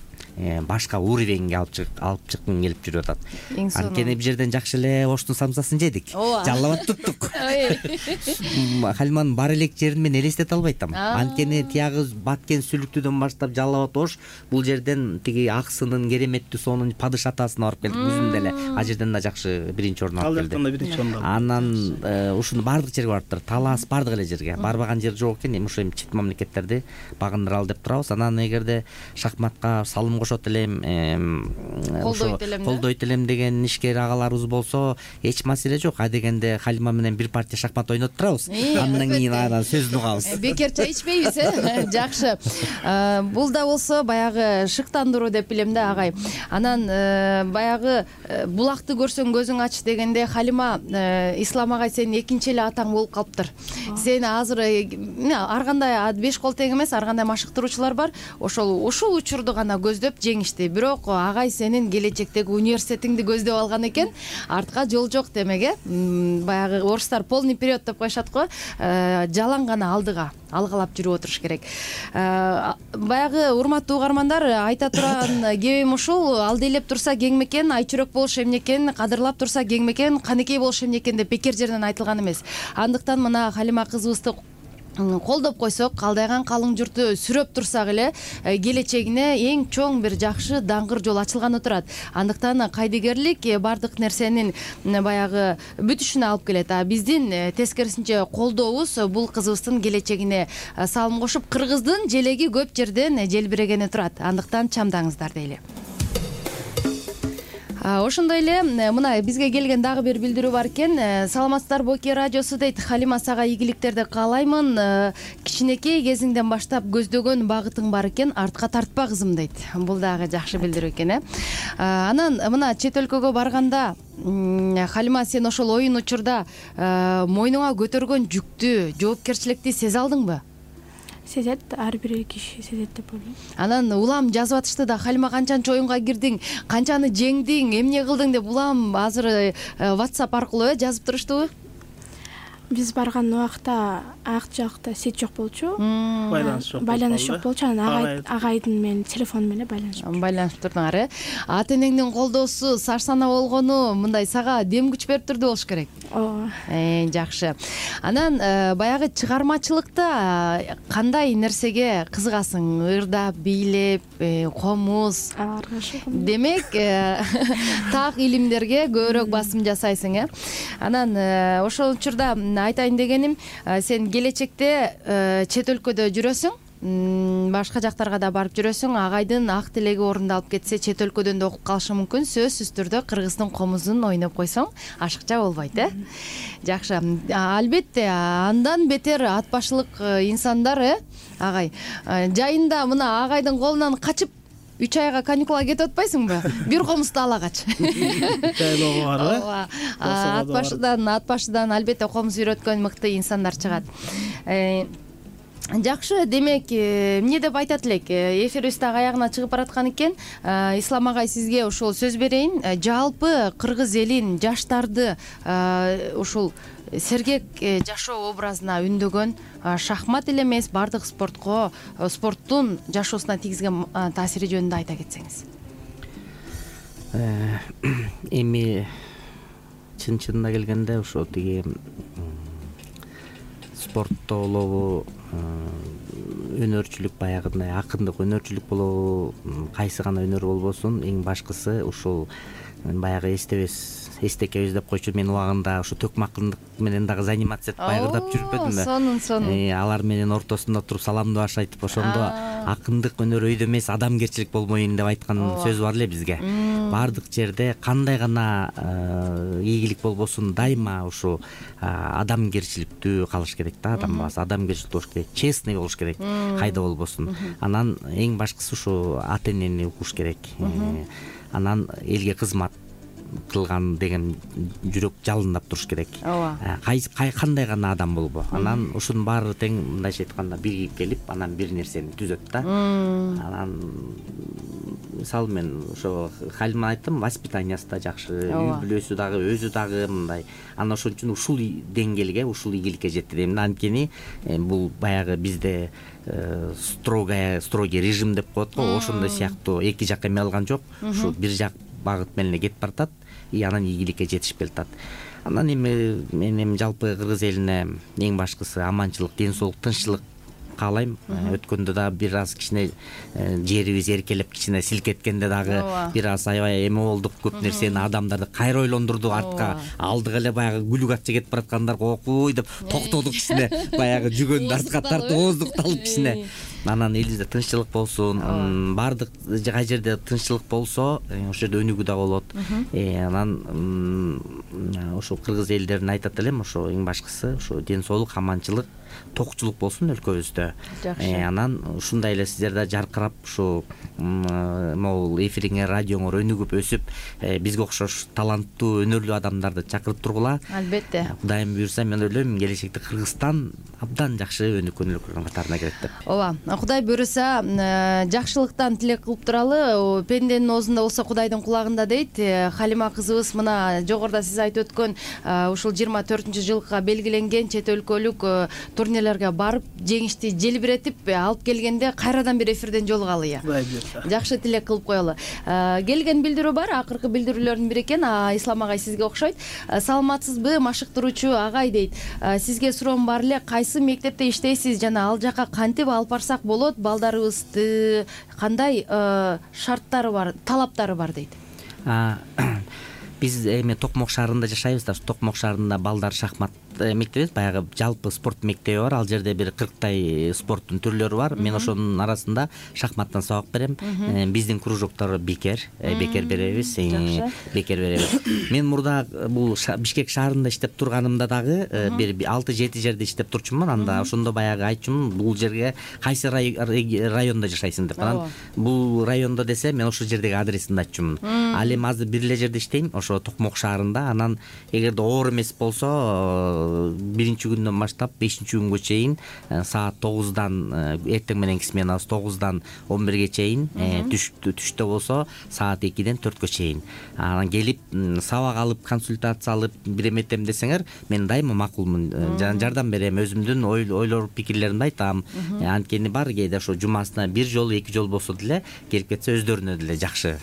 башка уровеньге алып чыккым келип жүрүп атат. Анткени бир жерден жакшы эле оштун самсасын жедик, жаллап туттук. Халиманын бар элек жерин мен элестете албайтам. Анткени тиягы Баткен Сүлүктүүдөн баштап жаллап ош, бул жерден тиги Аксынын, Кереметтүү сонун падыш атасына барып келдик өзүндө эле. А жерден да жакшы биринчи орун алып келди. Ал жактан да биринчи орун алды. Анан ушуну бардык жерге барыптыр. Талас бардык эле жерге. Барбаган жер жок экен. Эми ошо чет мамлекеттерди багындыралы деп турабыз. Анан эгерде шахматка салым кошот элем, колдойт элем деген ишкер агаларыбыз болсо, эч маселе жок. А дегенде Халима менен бир партия шахмат ойнотуп турабыз. Андан кийин анан сөзүн угабыз. Бекер чай ичпейбиз, жакшы. Бул да болсо баягы шыктандыруу деп билем да, агай. Анан баягы булакты көрсөң көзүң ач дегенде Халима, Ислам агай сенин экинчи эле атаң болуп калыптыр. Сени азыр ар кандай 5 кол тең эмес, ар кандай машыктыруучулар бар. Ушул учурду гана көздөп жеңишти. Бирок агай сенин келечектеги университетиңди көздөп алган экен. Артка жол жок демек, баягы орустар полный вперед деп коюшат го. Жалаң гана алдыга алгалап жүрүп отуруш керек. Баягы урматтуу угармандар, айта турган кебим ушул: алды турса кеңмекен, айчүрөк болуш эмнекен, кадырлап турса кеңмекен, канекей болуш эмнекен деп бекер жерден айтылган эмес. Андыктан мына Халима кызыбызды колдоп койсок, калдайган калың журту сүрөп турсак эле, келечегине эң чоң бир жакшы даңгыр жол ачылганы турат. Андыктан кайдыгерлик бардык нерсенин баягы бүтүшүнө алып келет. А биздин тескерисинче колдообуз бул кызыбыздын келечегине салым кошуп, кыргыздын желеги көп жерден желбирегени турат. Андыктан чамдаңыздар дейли. Ошондой эле мына бизге келген дагы бир билдирүү бар экен. Саламатсыздарбы, Оке радиосу дейт. Халима, сага ийгиликтерди каалаймын. Кичинекей кезиңден баштап көздөгөн багытың бар экен, артка тартпа кызым дейт. Бул дагы жакшы билдирүү экен, Анан мына чет өлкөгө барганда, Халима, сен ошол оюн учурда мойнуңа көтөргөн жүктү, жоопкерчиликти сезе алдыңбы? Сезет, ар бир киши сезет деп ойлойм. Анан улам жазып атышты да: Халима, канчанчы оюнга кирдиң, канчаны жеңдиң, эмне кылдың деп улам азыр WhatsApp аркылуу жазып туруштубу? биз барган убакта ак жакта сеть жок болчу, байланыш жок болчу. Анан агайдын менен телефону менен байланышып турдуңар, ата энеңдин колдоосу сар сана болгону мындай сага дем күч берип турду болуш керек. Ооба. Жакшы. Анан баягы чыгармачылыкта кандай нерсеге кызыгасың? Ырдап, бийлеп, комуз. Демек, так илимдерге көбүрөөк басым жасайсың, Анан ошол учурда айтайын дегеним, сен келечекте чет өлкөдө жүрөсүң, башка жактарга да барып жүрөсүң. Агайдын ак тилеги орундалып кетсе, чет өлкөдөн да окуп калышы мүмкүн. Сөзсүз түрдө кыргыздын комузун ойноп койсоң, ашыкча болбойт, Жакшы. Албетте, андан бетер ат башылык инсандар, агай. Жайында мына агайдын колунан качып 3 айга каникулга кетип атпайсыңбы? Бир комузду ала кач. Жайлоого барбы? Ат башыдан албетте комуз үйрөткөн мыкты инсандар чыгат. Жакшы, демек, эмне деп айтат элек? Эфирибиз дагы аягына чыгып бараткан экен. Ислам агай, сизге ошол сөз берейин. Жалпы кыргыз элин, жаштарды ушул сергек жашоо образына үндөгөн шахмат эле эмес, бардык спорттун жашоосуна тийгизген таасири жөнүндө айта кетсеңиз. Эми чын-чынына келгенде ошо тиги спортто болобу, өнөрчүлүк, баягындай акындык өнөрчүлүк болобу, кайсы гана өнөр болбосун, эң башкысы ушул баягы эстекебиз деп койчу. Мен убагында ушу төкмө акындык менен дагы занимация этип байырдап жүрүппөдүмбү? Сонун. Алар менен ортосунда туруп саламдаш айтып, ошондо акындык өнөр өйдө эмес, адамгерчилик болмоюн деп айткан сөз бар эле бизге. Бардык жерде кандай гана ийгилик болбосун, дайыма ушу адамгерчиликтүү калыш керек да, адам баласы адамгерчиликтүү болуш керек, честный болуш керек, кайда болбосун. Анан эң башкысы ушу ата энени укуш керек. Анан элге кызмат кылган деген жүрөк жалындап туруш керек. Кандай гана адам болбо. Анан ушунун баары тең, мындайча айтканда, биригип келип, анан бир нерсени түзөт да. Анан мисалы мен ошо Халима айттым, воспитаниясы да жакшы, үй бүлөсү дагы, өзү дагы мындай. Анан ошон үчүн ушул деңгээлге, ушул ийгиликке жетти дейм. Анткени бул баягы бизде строгий режим деп коет го, ошондой сыяктуу эки жак эме алган жок. Ушу бир жак багыт менен кетип баратат, анан ийгиликке жетишип келатат. Анан мен жалпы кыргыз элине эң башкысы аманчылык, ден соолук, тынччылык каалайм. Өткөндө да бир аз кичине жерибиз эркелеп кичине силкеткенде дагы бир аз аябай эме болдук, көп нерсени адамдарды кайра ойлондурду, артка алдыга эле баягы күлүк атча кетип бараткандарга окуй деп токтодук кичине, баягы жүгөндү артка тартып ооздукталып кичине. Анан элибизде тынччылык болсун, бардык кай жерде тынччылык болсо, ошол жерде өнүгүү да болот. Анан ошо кыргыз элдерин айтат элем, ошо эң башкысы ошо ден соолук, аманчылык, токчулук болсун өлкөбүздө. Анан ушундай эле сиздер да жаркырап ушу могул эфириңер, радиоңор өнүгүп өсүп, бизге окшош таланттуу, өнөрлүү адамдарды чакырып тургула. Албетте. Кудайым буйрса, мен ойлойм келечекте Кыргызстан абдан жакшы өнүккөн өлкөлөрдүн катарына кирет деп. Ооба, Кудай буйрса, жакшылыктан тилек кылып туралы. Пенденин оозунда болсо Кудайдын кулагында дейт. Халима кызыбыз мына жогоруда сиз айтып өткөн ушул 24-жылга белгиленген чет өлкөлүк турнирлерге барып, жеңишти желбиретип алып келгенде кайрадан бир эфирден жолугалы. Жакшы тилек кылып коелу. Келген билдирүү бар, акыркы билдирүүлөрдүн бири экен. Ислам агай сизге окшойт. Саламатсызбы, машыктыруучу агай дейт. Сизге суроом бар эле, кайсы мектепте иштейсиз жана ал жака кантип алып барсак болот? Балдарыбызды кандай шарттары бар, талаптары бар дейт. Биз эми Токмок шаарында жашайбыз да. Токмок шаарында балдар шахмат мектеби, баягы жалпы спорт мектеби бар. Ал жерде бир 40 спорттун түрлөрү бар. Мен ошонун арасында шахматтан сабак берем. Биздин кружоктор бекер беребиз. Мен мурда бул Бишкек шаарында иштеп турганымда дагы бир 6-7 жерде иштеп турчумун. Анда ошондо баягы айтчумун, бул жерге кайсы райондо жашайсың деп. Анан бул райондо десе, мен ошол жердеги адресин айтчумун. Ал эми азыр бир эле жерде иштейм, ошо Токмок шаарында. Анан эгерде оор эмес болсо, биринчи күндөн баштап 5 күнгө чейин саат 9-дан эртең мененки сменабыз 9-дан 11-ге чейин, түштө болсо саат 2-ден 4-кө чейин. Анан келип сабак алып, консультация алып, бир эме этем десеңер, мен дайыма макулмун, жардам берем, өзүмдүн ойлор, пикирлеримди айтам. Анткени бар кээде ошо жумасына 1 жолу, 2 жолу болсо деле келип кетсе өздөрүнө деле жакшы.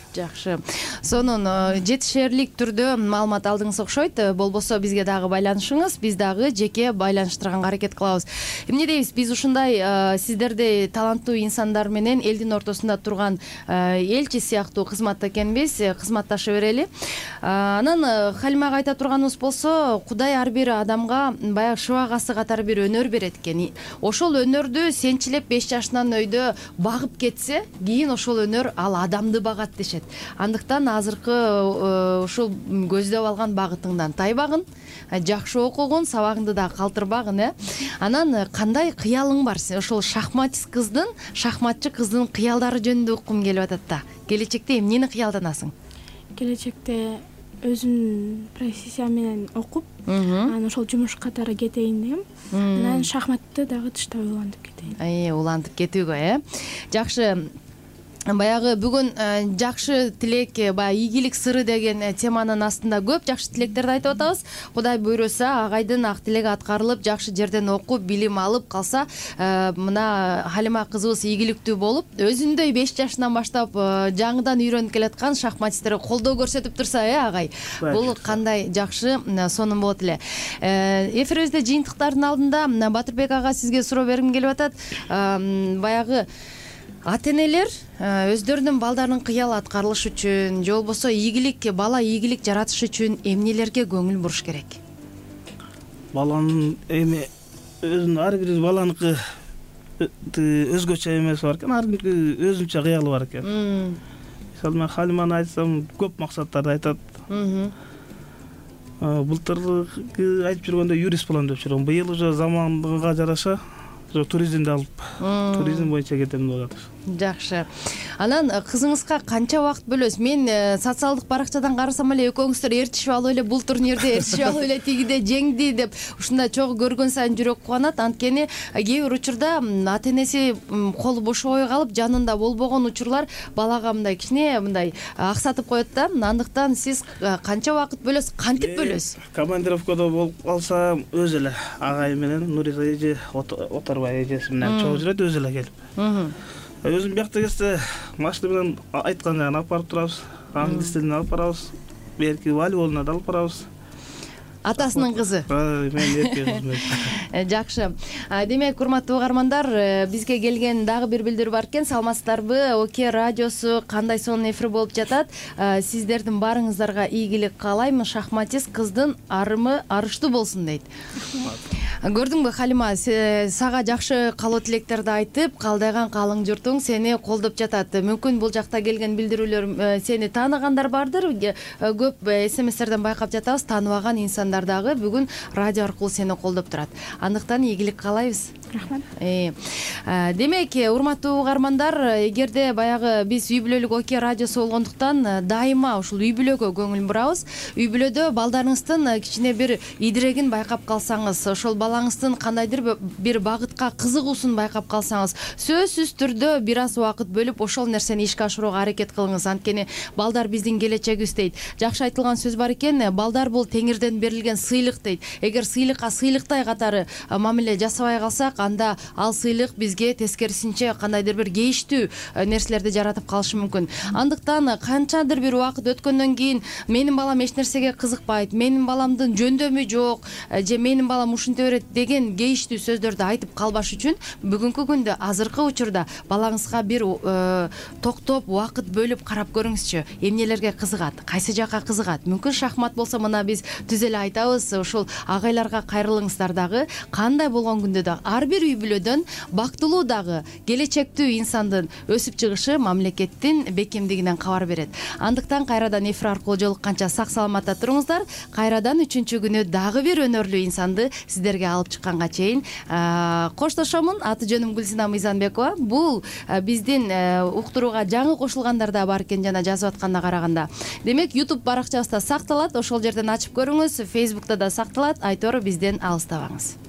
Сонун жетишерлик түрдө маалымат алдыңыз окшойт. Болбосо бизге дагы байланышыңыз, биз дагы жеке байланыштырганга аракет кылабыз. Эмне дейбиз, биз ушундай сиздердей таланттуу инсандар менен элдин ортосунда турган элчи сыяктуу кызматта экенбиз, кызматташа берели. Анан Халимага айта турганыбыз болсо, Кудай ар бир адамга баягы шыбагасы катары бир өнөр берет экен. Ошол өнөрдү сенчилеп 5 жашынан өйдө багып кетсе, кийин ошол өнөр ал адамды багат дешет. Андыктан азыркы ушул көздөп алган багытыңдан тайбагын, жакшы окугун, сабагыңды да калтырбагын. Анан кандай кыялың бар? Ошол шахматчы кыздын кыялдары жөнүндө уккум келип атат да. Келечекте эмнени кыялданасың? Келечекте өзүмдүн профессиям менен окуп, анан ошол жумуш катары кетейин дегем. Анан шахматты дагы тыштап улантып кетейин. Улантып кетүүгө, Жакшы. Баягы бүгүн жакшы тилек, баягы ийгилик сыры деген теманын астында көп жакшы тилектерди айтып атабыз. Кудай буйруса, агайдын ак тилеги аткарылып, жакшы жерден окуп, билим алып калса, мына Халима кызыбыз ийгиликтүү болуп, өзүндөй 5 жашынан баштап жаңыдан үйрөнүп келаткан шахматисттерге колдоо көрсөтүп турса, агай. Бул кандай жакшы, сонун болот эле. Эфирибизде жыйынтыктардын алдында Батырбек ага сизге суроо бергим келип атат. Баягы ата-энелер өздөрүнүн балдарынын кыялы аткарылыш үчүн, же болбосо бала ийгилик жаратыш үчүн эмнелерге көңүл буруш керек? Баланын өзүнүн ар бир баланыкы өзгөчө эмеси бар экен, ар биринин өзүнчө кыялы бар экен. Мисалы мен Халиманы айтсам, көп максаттарды айтат. Былтыр айтып жүргөндө юрист болом деп жүргөм. Быйыл уже заманга жараша туризмди алып, туризм боюнча кетем деп атат. Жакшы. Анан кызыңызга канча убакыт бөлөсүз? Мен социалдык баракчадан карасам эле экөөңүздөр ээрчишип алып эле бул турнирде, ээрчишип алып эле тигиде жеңди деп ушундай чогуу көргөн сайын жүрөк кубанат. Анткени кээ бир учурда ата-энеси колу бошобой калып, жанында болбогон учурлар балага мындай кичине мындай аксатып коет да. Андыктан сиз канча убакыт бөлөсүз, кантип бөлөсүз? Командировкада болуп калса, өзү эле агай менен Нуриса эже, Оторбай эжеси менен чогуу жүрөт, өзү эле келип. Өзүм биякта келсе, машина менен айткан жагын алып барып турабыз, англис тилин алып барабыз, берки волейболуна да алып барабыз. Атасынын кызы. Мен эрке кызым. Жакшы. Демек, урматтуу угармандар, бизге келген дагы бир билдирүү бар экен. Саламатсыздарбы? ОК радиосу кандай сонун эфир болуп жатат? Сиздердин барыңыздарга ийгилик каалайм. Шахматист кыздын арымы арыштуу болсун дейт. Көрдүңбү, Халима, сага жакшы каалоо тилектерди айтып, калдайган калың журтуң сени колдоп жатат. Мүмкүн бул жакта келген билдирүүлөр сени тааныгандар бардыр. Көп СМСтерден байкап жатабыз, тааныбаган инсандар дагы бүгүн радио аркылуу сени колдоп турат. Андыктан ийгилик каалайбыз. Рахмат. Демек, урматтуу угармандар, эгерде баягы биз үй бүлөлүк ОК радиосу болгондуктан дайыма ушул үй бүлөгө көңүл бурабыз. Үй бүлөдө балдарыңыздын кичине бир идирегин байкап калсаңыз, ошол балаңыздын кандайдыр бир багытка кызыгуусун байкап калсаңыз, сөзсүз түрдө бир аз убакыт бөлүп ошол нерсени ишке ашырууга аракет кылыңыз. Анткени балдар биздин келечегибиз дейт. Жакшы айтылган сөз бар экен, балдар бул Теңирден берилген сыйлык дейт. Эгер сыйлыкка сыйлыктай катары мамиле жасабай калсак, анда ал сыйлык бизге тескерисинче кандайдыр бир кейиштүү нерселерди жаратып калышы мүмкүн. Андыктан канчадыр бир убакыт өткөндөн кийин менин балам эч нерсеге кызыкпайт, менин баламдын жөндөмү жок, же менин балам ушинте берет деген кейиштүү сөздөрдү айтып калбаш үчүн бүгүнкү күндө, азыркы учурда балаңызга бир токтоп убакыт бөлүп карап көрүңүзчү. Эмнелерге кызыгат, кайсы жакка кызыгат? Мүмкүн шахмат болсо, мына биз түз эле айтабыз, ушул агайларга кайрылыңыздар дагы. Кандай болгон күндө да ар бир үй бүлөдөн бактылуу дагы келечектүү инсандын өсүп чыгышы мамлекеттин бекемдигинен кабар берет. Андыктан кайрадан эфир аркылуу жолукканча сак саламатта туруңуздар. Кайрадан 3-күнү дагы бир өнөрлүү инсанды сиздерге алып чыкканга чейин коштошомун. Аты жөнүм Гүлсина Мыйзанбекова. Бул биздин уктурууга жаңы кошулгандар да бар экен жана жазып атканына караганда. Демек, YouTube баракчабызда сакталат. Ошол жерден ачып көрүңүз. Facebook'та да сакталат. Айтор бизден алыстабаңыз.